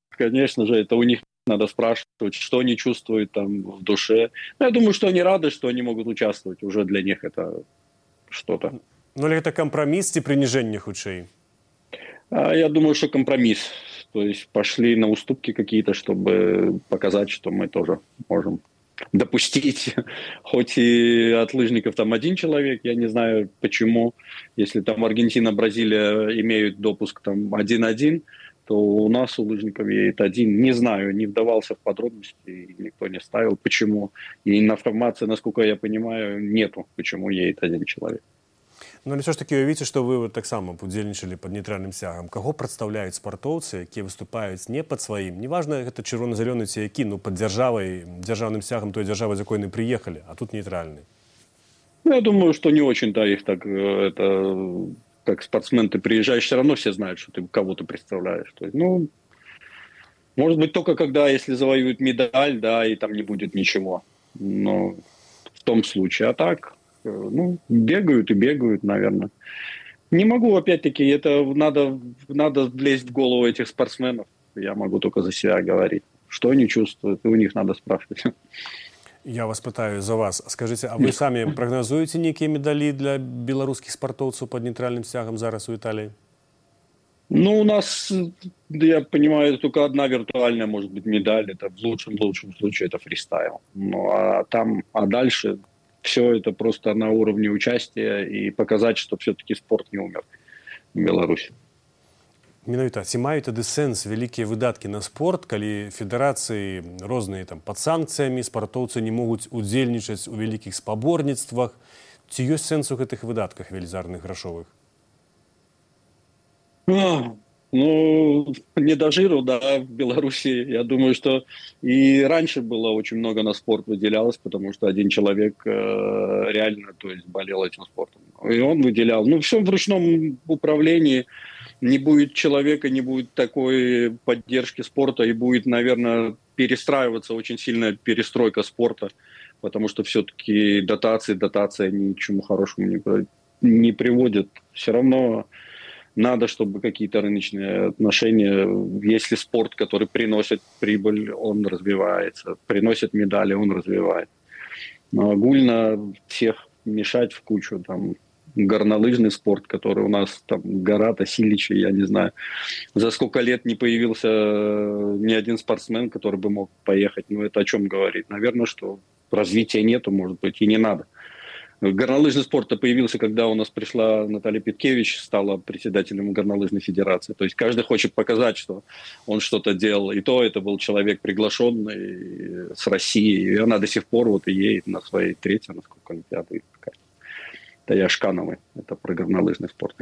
конечно же, это у них надо спрашивать, что они чувствуют там в душе. Но я думаю, что они рады, что они могут участвовать, уже для них это что-то. Ну, или это компромисс и принижение худшей? А я думаю, что компромисс. То есть пошли на уступки какие-то, чтобы показать, что мы тоже можем допустить, хоть и от лыжников там один человек, я не знаю почему, если там Аргентина, Бразилия имеют допуск там один-один, то у нас у лыжников едет один. Не знаю, не вдавался в подробности, никто не ставил, почему. И информации, насколько я понимаю, нету, почему едет один человек. Ну, але все ж таки уявіце, што вы вот так само удзельнічалі пад нейтральным сцягам. Каго прадстаўляюць спартоўцы, якія выступаюць не пад сваім? Неважна, гэта чырвона-зялёны ці які, ну, пад дзяржавай, дзяржаўным сцягам той дзяржавы, з якой яны прыехалі, а тут нейтральны. Ну, я думаю, что не очень-то их так, это, как спортсмен, ты приезжаешь, все равно все знают, что ты кого-то представляешь. То есть, ну, может быть, только когда, если завоюют медаль, да, и там не будет ничего. Но в том случае. А так... Ну, бегают и бегают, наверное. Не могу, опять-таки, это надо, надо влезть в голову этих спортсменов. Я могу только за себя говорить. Что они чувствуют, и у них надо спрашивать. Я вас пытаю за вас. Скажите, а вы сами прогнозуете некие медали для белорусских спортовцев под нейтральным стягом зараз у Италии? Ну, у нас, я понимаю, только одна виртуальная, может быть, медаль. Это в лучшем-лучшем случае это фристайл. Ну, а там, а дальше... Все это просто на уровне участия и показать, что все-таки спорт не умер в Беларуси. Менавіта, ці мають тады сэнс вялікія выдаткі на спорт, калі федэрацыі розныя там пад санкцыямі, спартоўцы не могуць удзельнічаць у вялікіх спаборніцтвах? Ці ёсць сэнс у гэтых выдатках велізарных грашовых? Ну, не до жиру, да, в Беларуси. Я думаю, что и раньше было очень много на спорт выделялось, потому что один человек э, реально, то есть, болел этим спортом. И он выделял. Ну, все в ручном управлении. Не будет человека, не будет такой поддержки спорта, и будет, наверное, перестраиваться очень сильная перестройка спорта, потому что все-таки дотации, дотации ни к чему хорошему не, не приводят. Все равно... Надо, чтобы какие-то рыночные отношения, если спорт, который приносит прибыль, он развивается, приносит медали, он развивает. Но огульно всех мешать в кучу, там, горнолыжный спорт, который у нас, там, гора Тасиличи, я не знаю, за сколько лет не появился ни один спортсмен, который бы мог поехать. Ну, это о чем говорит? Наверное, что развития нету, может быть, и не надо. Горнолыжный спорт появился, когда у нас пришла Наталья Петкевич, стала председателем горнолыжной федерации. То есть каждый хочет показать, что он что-то делал. И то это был человек приглашенный с России. И она до сих пор вот и едет на своей третьей, насколько олимпиады. Это Яшкановой. Это про горнолыжный спорт.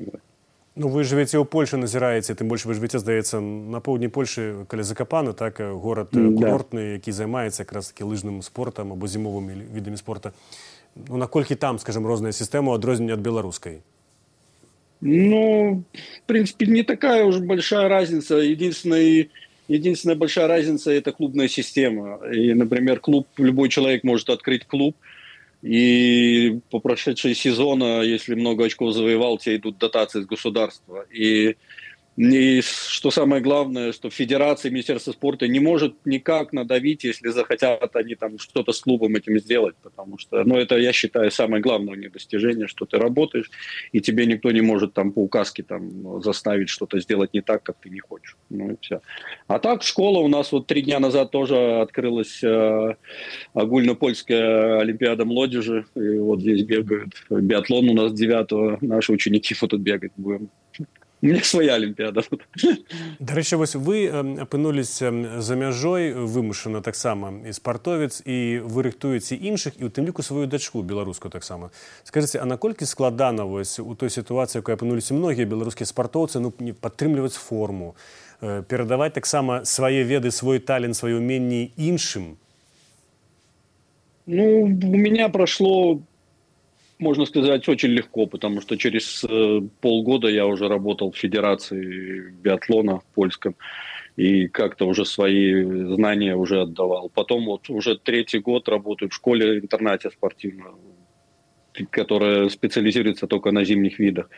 Ну, вы живете ў Польшы, назіраеце, тым больш вы живете, здаецца, на поўдні Польшы, каля Закапаны, так, горад курортны, які займаецца якраз таки лыжным спортам або зімовымі відамі спорта. Ну, наколькі там, скажем, розная сістэма адрознення ад беларускай? Ну, в принципе, не такая уж большая разница. Единственная, единственная большая разница – это клубная система. И, например, клуб, любой человек может открыть клуб, и по прошедшие сезона, если много очков завоевал, тебе идут дотации из государства. И, и что самое главное, что Федерация, Министерство спорта не может никак надавить, если захотят они там что-то с клубом этим сделать. Потому что, ну, это, я считаю, самое главное у них достижение, что ты работаешь, и тебе никто не может там по указке там заставить что-то сделать не так, как ты не хочешь. Ну и все. А так, школа у нас вот три дня назад тоже открылась э, огульнопольская олимпиада молодежи. И вот здесь бегают. Биатлон у нас девятого. Наши ученики вот тут бегать будем. У меня своя Олимпиада. До речі, ось ви опинулися за мяжой вимушено так само і спартовець, і ви рихтуєте інших, і у тим ліку свою дочку білоруську так само. Скажіть, а наколькі складана ось у той ситуації, в якій опинулися многі білоруські спартовці, ну, підтримувати форму, передавати так само свої веди, свій талент, свої уміння іншим? Ну, у меня прошло, можно сказать, очень легко, потому что через э, полгода я уже работал в Федерации биатлона в польском и как-то уже свои знания уже отдавал. Потом вот уже третий год работаю в школе-интернате спортивном, которая специализируется только на зимних видах.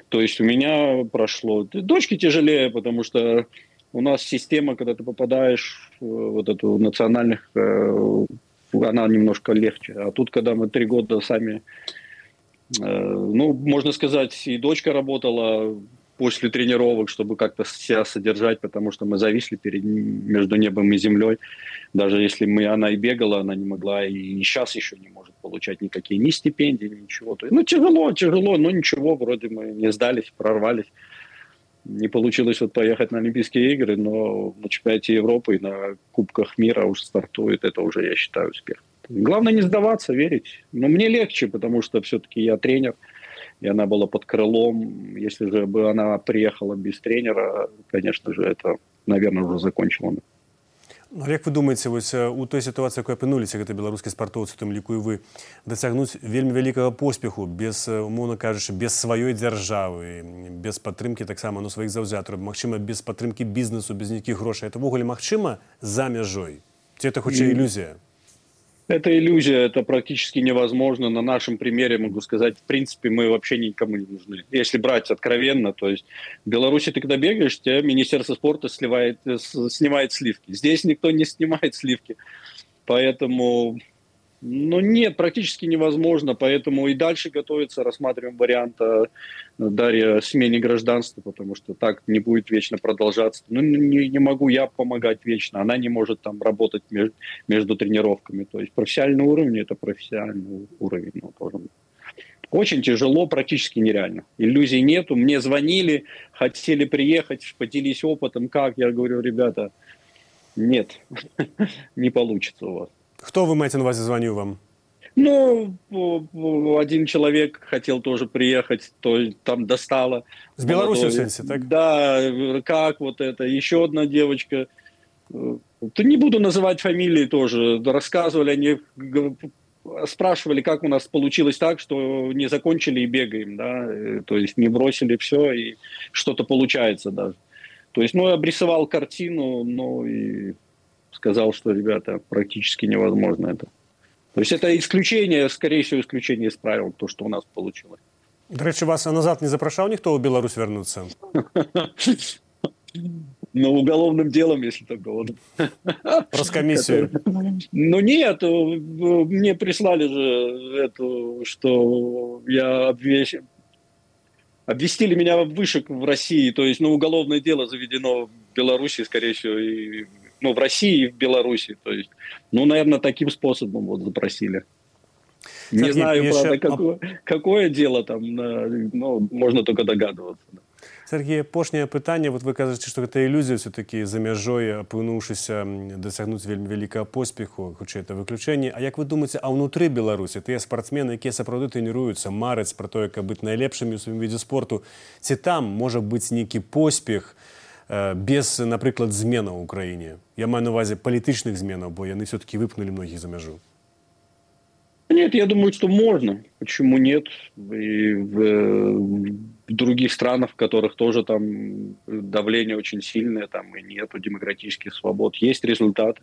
То есть у меня прошло... Дочке тяжелее, потому что у нас система, когда ты попадаешь в вот эту национальных... Э, она немножко легче. А тут, когда мы три года сами... Э, ну, можно сказать, и дочка работала после тренировок, чтобы как-то себя содержать, потому что мы зависли перед, между небом и землей. Даже если мы, она и бегала, она не могла, и сейчас еще не может получать никакие ни стипендии, ничего. Ну, тяжело, тяжело, но ничего, вроде мы не сдались, прорвались. Не получилось вот поехать на Олимпийские игры, но на чемпионате Европы и на Кубках мира уже стартует. Это уже, я считаю, успех. Главное не сдаваться, верить. Но мне легче, потому что все-таки я тренер, и она была под крылом. Если же бы она приехала без тренера, конечно же, это, наверное, уже закончило. Ну, як ви думаєте, ось у той ситуації, якої опинулися, гэта беларускі спартоўцы, тым ліку і вы, дасягнуць вельмі вялікага поспеху, без, умоўна кажучы, без сваёй дзяржавы, без падтрымкі таксама, ну, сваіх заўзятараў, магчыма, без падтрымкі бізнесу, без нейкіх грошай, это ввогуле магчыма за мяжой? Ці это хутчэй ілюзія? Это иллюзия, это практически невозможно. На нашем примере могу сказать, в принципе, мы вообще никому не нужны. Если брать откровенно, то есть в Беларуси ты когда бегаешь, тебе Министерство спорта сливает, снимает сливки. Здесь никто не снимает сливки. Поэтому, ну нет, практически невозможно. Поэтому и дальше готовится, рассматриваем вариант Дарья о смене гражданства, потому что так не будет вечно продолжаться. Ну не, не могу я помогать вечно, она не может там работать между, между тренировками. То есть профессиональный уровень – это профессиональный уровень. Ну, тоже. Очень тяжело, практически нереально. Иллюзий нету. Мне звонили, хотели приехать, поделись опытом, как. Я говорю, ребята, нет, не получится у вас. Кто, вы маете на увазі, звонил вам? Ну, один человек хотел тоже приехать, то там достало. С Беларуси, в сенсе, так? Да, как вот это. Еще одна девочка. То не буду называть фамилии тоже. Рассказывали, они спрашивали, как у нас получилось так, что не закончили и бегаем, да. То есть не бросили все, и что-то получается даже. То есть, ну, обрисовал картину, ну, и сказал, что, ребята, практически невозможно это. То есть это исключение, скорее всего, исключение из правил, то, что у нас получилось. До речі, вас назад не запрошал никто в Беларусь вернуться? Ну, уголовным делом, если только вот. Роскомиссию. Ну, нет, мне прислали же эту, что я обвещен. Обвестили меня выше в России, то есть, ну, уголовное дело заведено в Беларуси, скорее всего, и, ну, в России и в Беларуси, то есть, ну, наверное, таким способом вот запросили. Не Сергей, знаю, правда, еще... какое, какое дело там, ну, можно только догадываться. Сергей, апошняе пытанне, вот вы кажаце, што гэта ілюзія все-таки за мяжой, апынуўшыся, дасягнуць вельмі вялікага поспеху, хутчэй это выключэнне. А як вы думаеце, а ўнутры Беларусі тыя спартсмены, якія сапраўды трэніруюцца, мараць пра тое, каб быць найлепшымі ў сваім відзе спорту, ці там можа быць нейкі поспех без, напрыклад, зменаў у краіне? Я маю на увазе палітычных зменаў, бо яны все-таки выпнули многіх за мяжу. Нет, я думаю, что можно. Почему нет? И в, в других странах, в которых тоже там давление очень сильное, там и нету демократических свобод, есть результаты.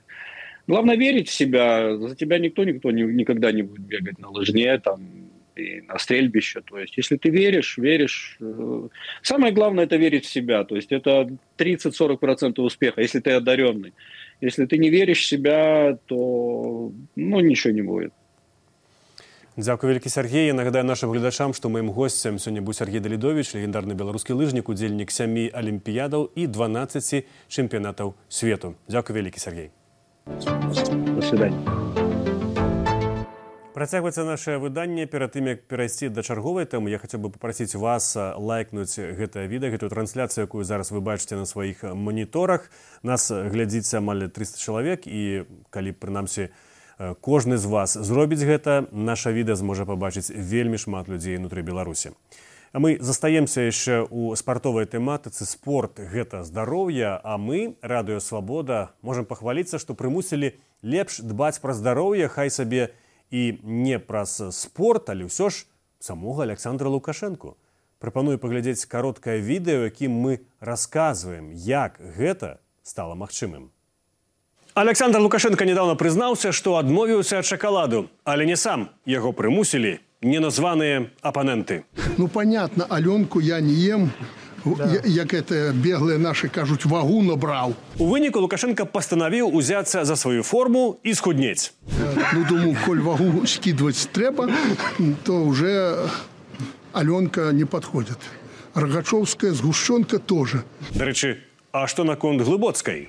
Главное верить в себя. За тебя никто, никто не, никогда не будет бегать на лыжне, там, и на стрельбище. То есть, если ты веришь, веришь. Самое главное – это верить в себя. То есть, это тридцать-сорок процентов успеха, если ты одаренный. Если ты не веришь в себя, то, ну, ничего не будет. Дзякуй вялікі, Сергей. Я нагадаю нашим гледачам, што маім госцем сёння быў Сергей Далідовіч, легендарны беларускі лыжнік, удзельнік сямі алімпіядаў і дванаццаці чэмпіянатаў свету. Дзякуй вялікі, Сергей. До свидания. Працягваецца наше выданне. Перад тым, як перайсці да чарговай тэмы, я хацеў бы папрасіць вас лайкнуць гэтае відэа, гэтую трансляцыю, якую зараз вы бачыце на сваіх маніторах. Нас глядзіць амаль трыста чалавек, і калі, прынамсі, кожны з вас зробіць гэта, наша відэа зможа пабачыць вельмі шмат людзей ўнутры Беларусі. А мы застаемся яшчэ ў спартовай тэматыцы. Спорт – гэта здароўе, а мы, Радыё Свабода, можам пахваліцца, што прымусілі лепш дбаць пра здароўе, хай сабе і не праз спорт, але ўсё ж самога Александра Лукашэнку. Прапаную паглядзець кароткае відэо, якім мы расказваем, як гэта стала магчымым. Александр Лукашенко недавно прызнаўся, што адмовіўся ад шакаладу, але не сам. Яго прымусілі неназваныя апаненты. Ну, понятно, Аленку я не ем. Да. Як это беглые наши кажуць, вагу набраў. У выніку Лукашенко пастанавіў узяцца за сваю форму і схуднець. Ну, думаю, коль вагу скидывать трэба, то уже Аленка не подходит. Рогачевская, сгущенка тоже. Дарэчы, а што наконт Глыбоцкай?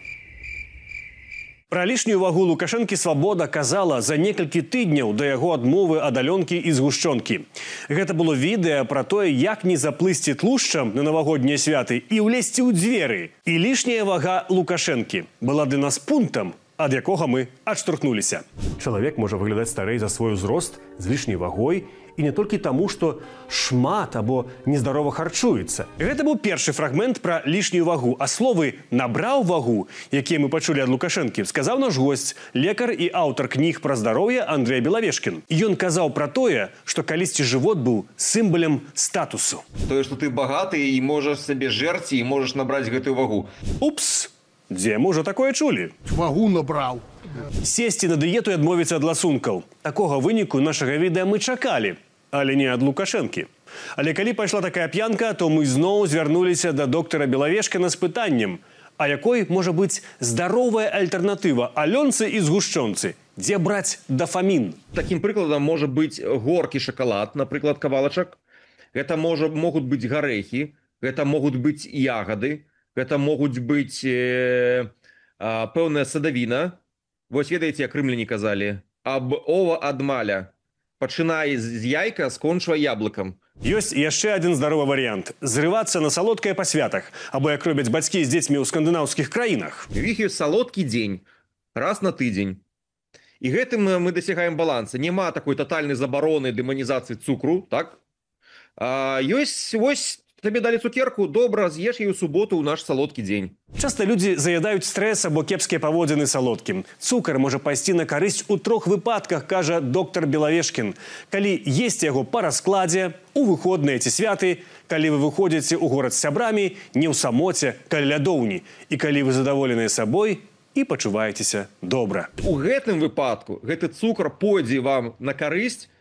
Пра лішнюю вагу Лукашэнкі Свабода казала за некалькі тыдняў да яго адмовы ад Алёнкі і згушчонкі. Гэта было відэа пра тое, як не заплысці тлушчам на навагоднія святы і ўлезці ў дзверы. І лішняя вага Лукашэнкі была для нас пунктам, ад якога мы адштурхнуліся. Чалавек можа выглядаць старэй за свой узрост з лішняй вагой, і не толькі таму, што шмат або нездарова харчуецца. Гэта быў першы фрагмент пра лішнюю вагу, а словы «набраў вагу», якія мы пачулі ад Лукашэнкі, сказаў наш госць, лекар і аўтар кніг пра здароўе Андрэй Белавешкін. І ён казаў пра тое, што калісьці жывот быў сімвалем статусу. Тое, што ты багаты і можаш сабе жэрці і можаш набраць гэтую вагу. Упс! Дзе мы ўжо такое чулі? Вагу набраў. Сесці на дыету і адмовіцца ад ласункаў. Такога выніку нашага відэа мы чакалі, але не ад Лукашэнкі. Але калі пайшла такая п'янка, то мы зноў звярнуліся да доктара Белавешкіна з пытаннем, а якой можа быць здаровая альтэрнатыва Алёнцы і згушчонцы? Дзе браць дафамін? Такім прыкладам можа быць горкі шакалад, напрыклад, кавалачак. Гэта можа, могуць быць гарэхі, гэта могуць быць ягады, гэта могуць быць э, э, пэўная садавіна. Вось ведаеце, як рымляне казалі, аб ова ад маля. Пачынай з яйка, скончвай яблыкам. Ёсць яшчэ адзін здаровы варыянт – зрывацца на салодкае па святах, або як робяць бацькі з дзецьмі ў скандынаўскіх краінах. У іх ёсць салодкі дзень, раз на тыдзень. І гэтым мы дасягаем баланса. Няма такой татальнай забароны дэманізацыі цукру, так? А, ёсць, вось, табе далі цукерку, добра, з'еш яе ў суботу ў наш салодкі дзень. Часта людзі заядаюць стрэс або кепскія паводзіны салодкім. Цукар можа пайсці на карысць у трох выпадках, кажа доктар Белавешкін. Калі есці яго па раскладзе, у выходныя ці святы, калі вы выходзіце ў горад з сябрамі, не ў самоце, каля лядоўні, і калі вы задаволеныя сабой і пачуваецеся добра. У гэтым выпадку гэты цукар пойдзе вам на карысць,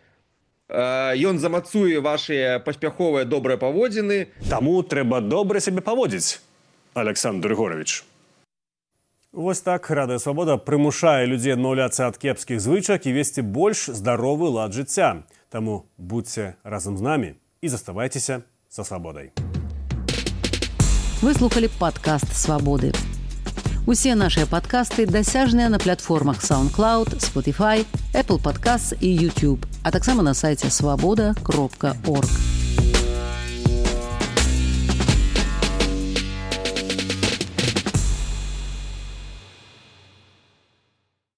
ён замацуе вашыя паспяховыя добрыя паводзіны. Таму трэба добра сябе паводзіць, Александр Егорович. Вось так Радыё Свабода прымушае людзей адмаўляцца ад кепскіх звычак і весці больш здаровы лад жыцця. Таму будзьце разам з намі і заставайцеся са свабодай. Вы слухалі падкаст Свабоды. Усе нашыя падкасты дасяжныя на платформах SoundCloud, Spotify, Apple Podcasts і YouTube, а таксама на сайце свабода кропка орг.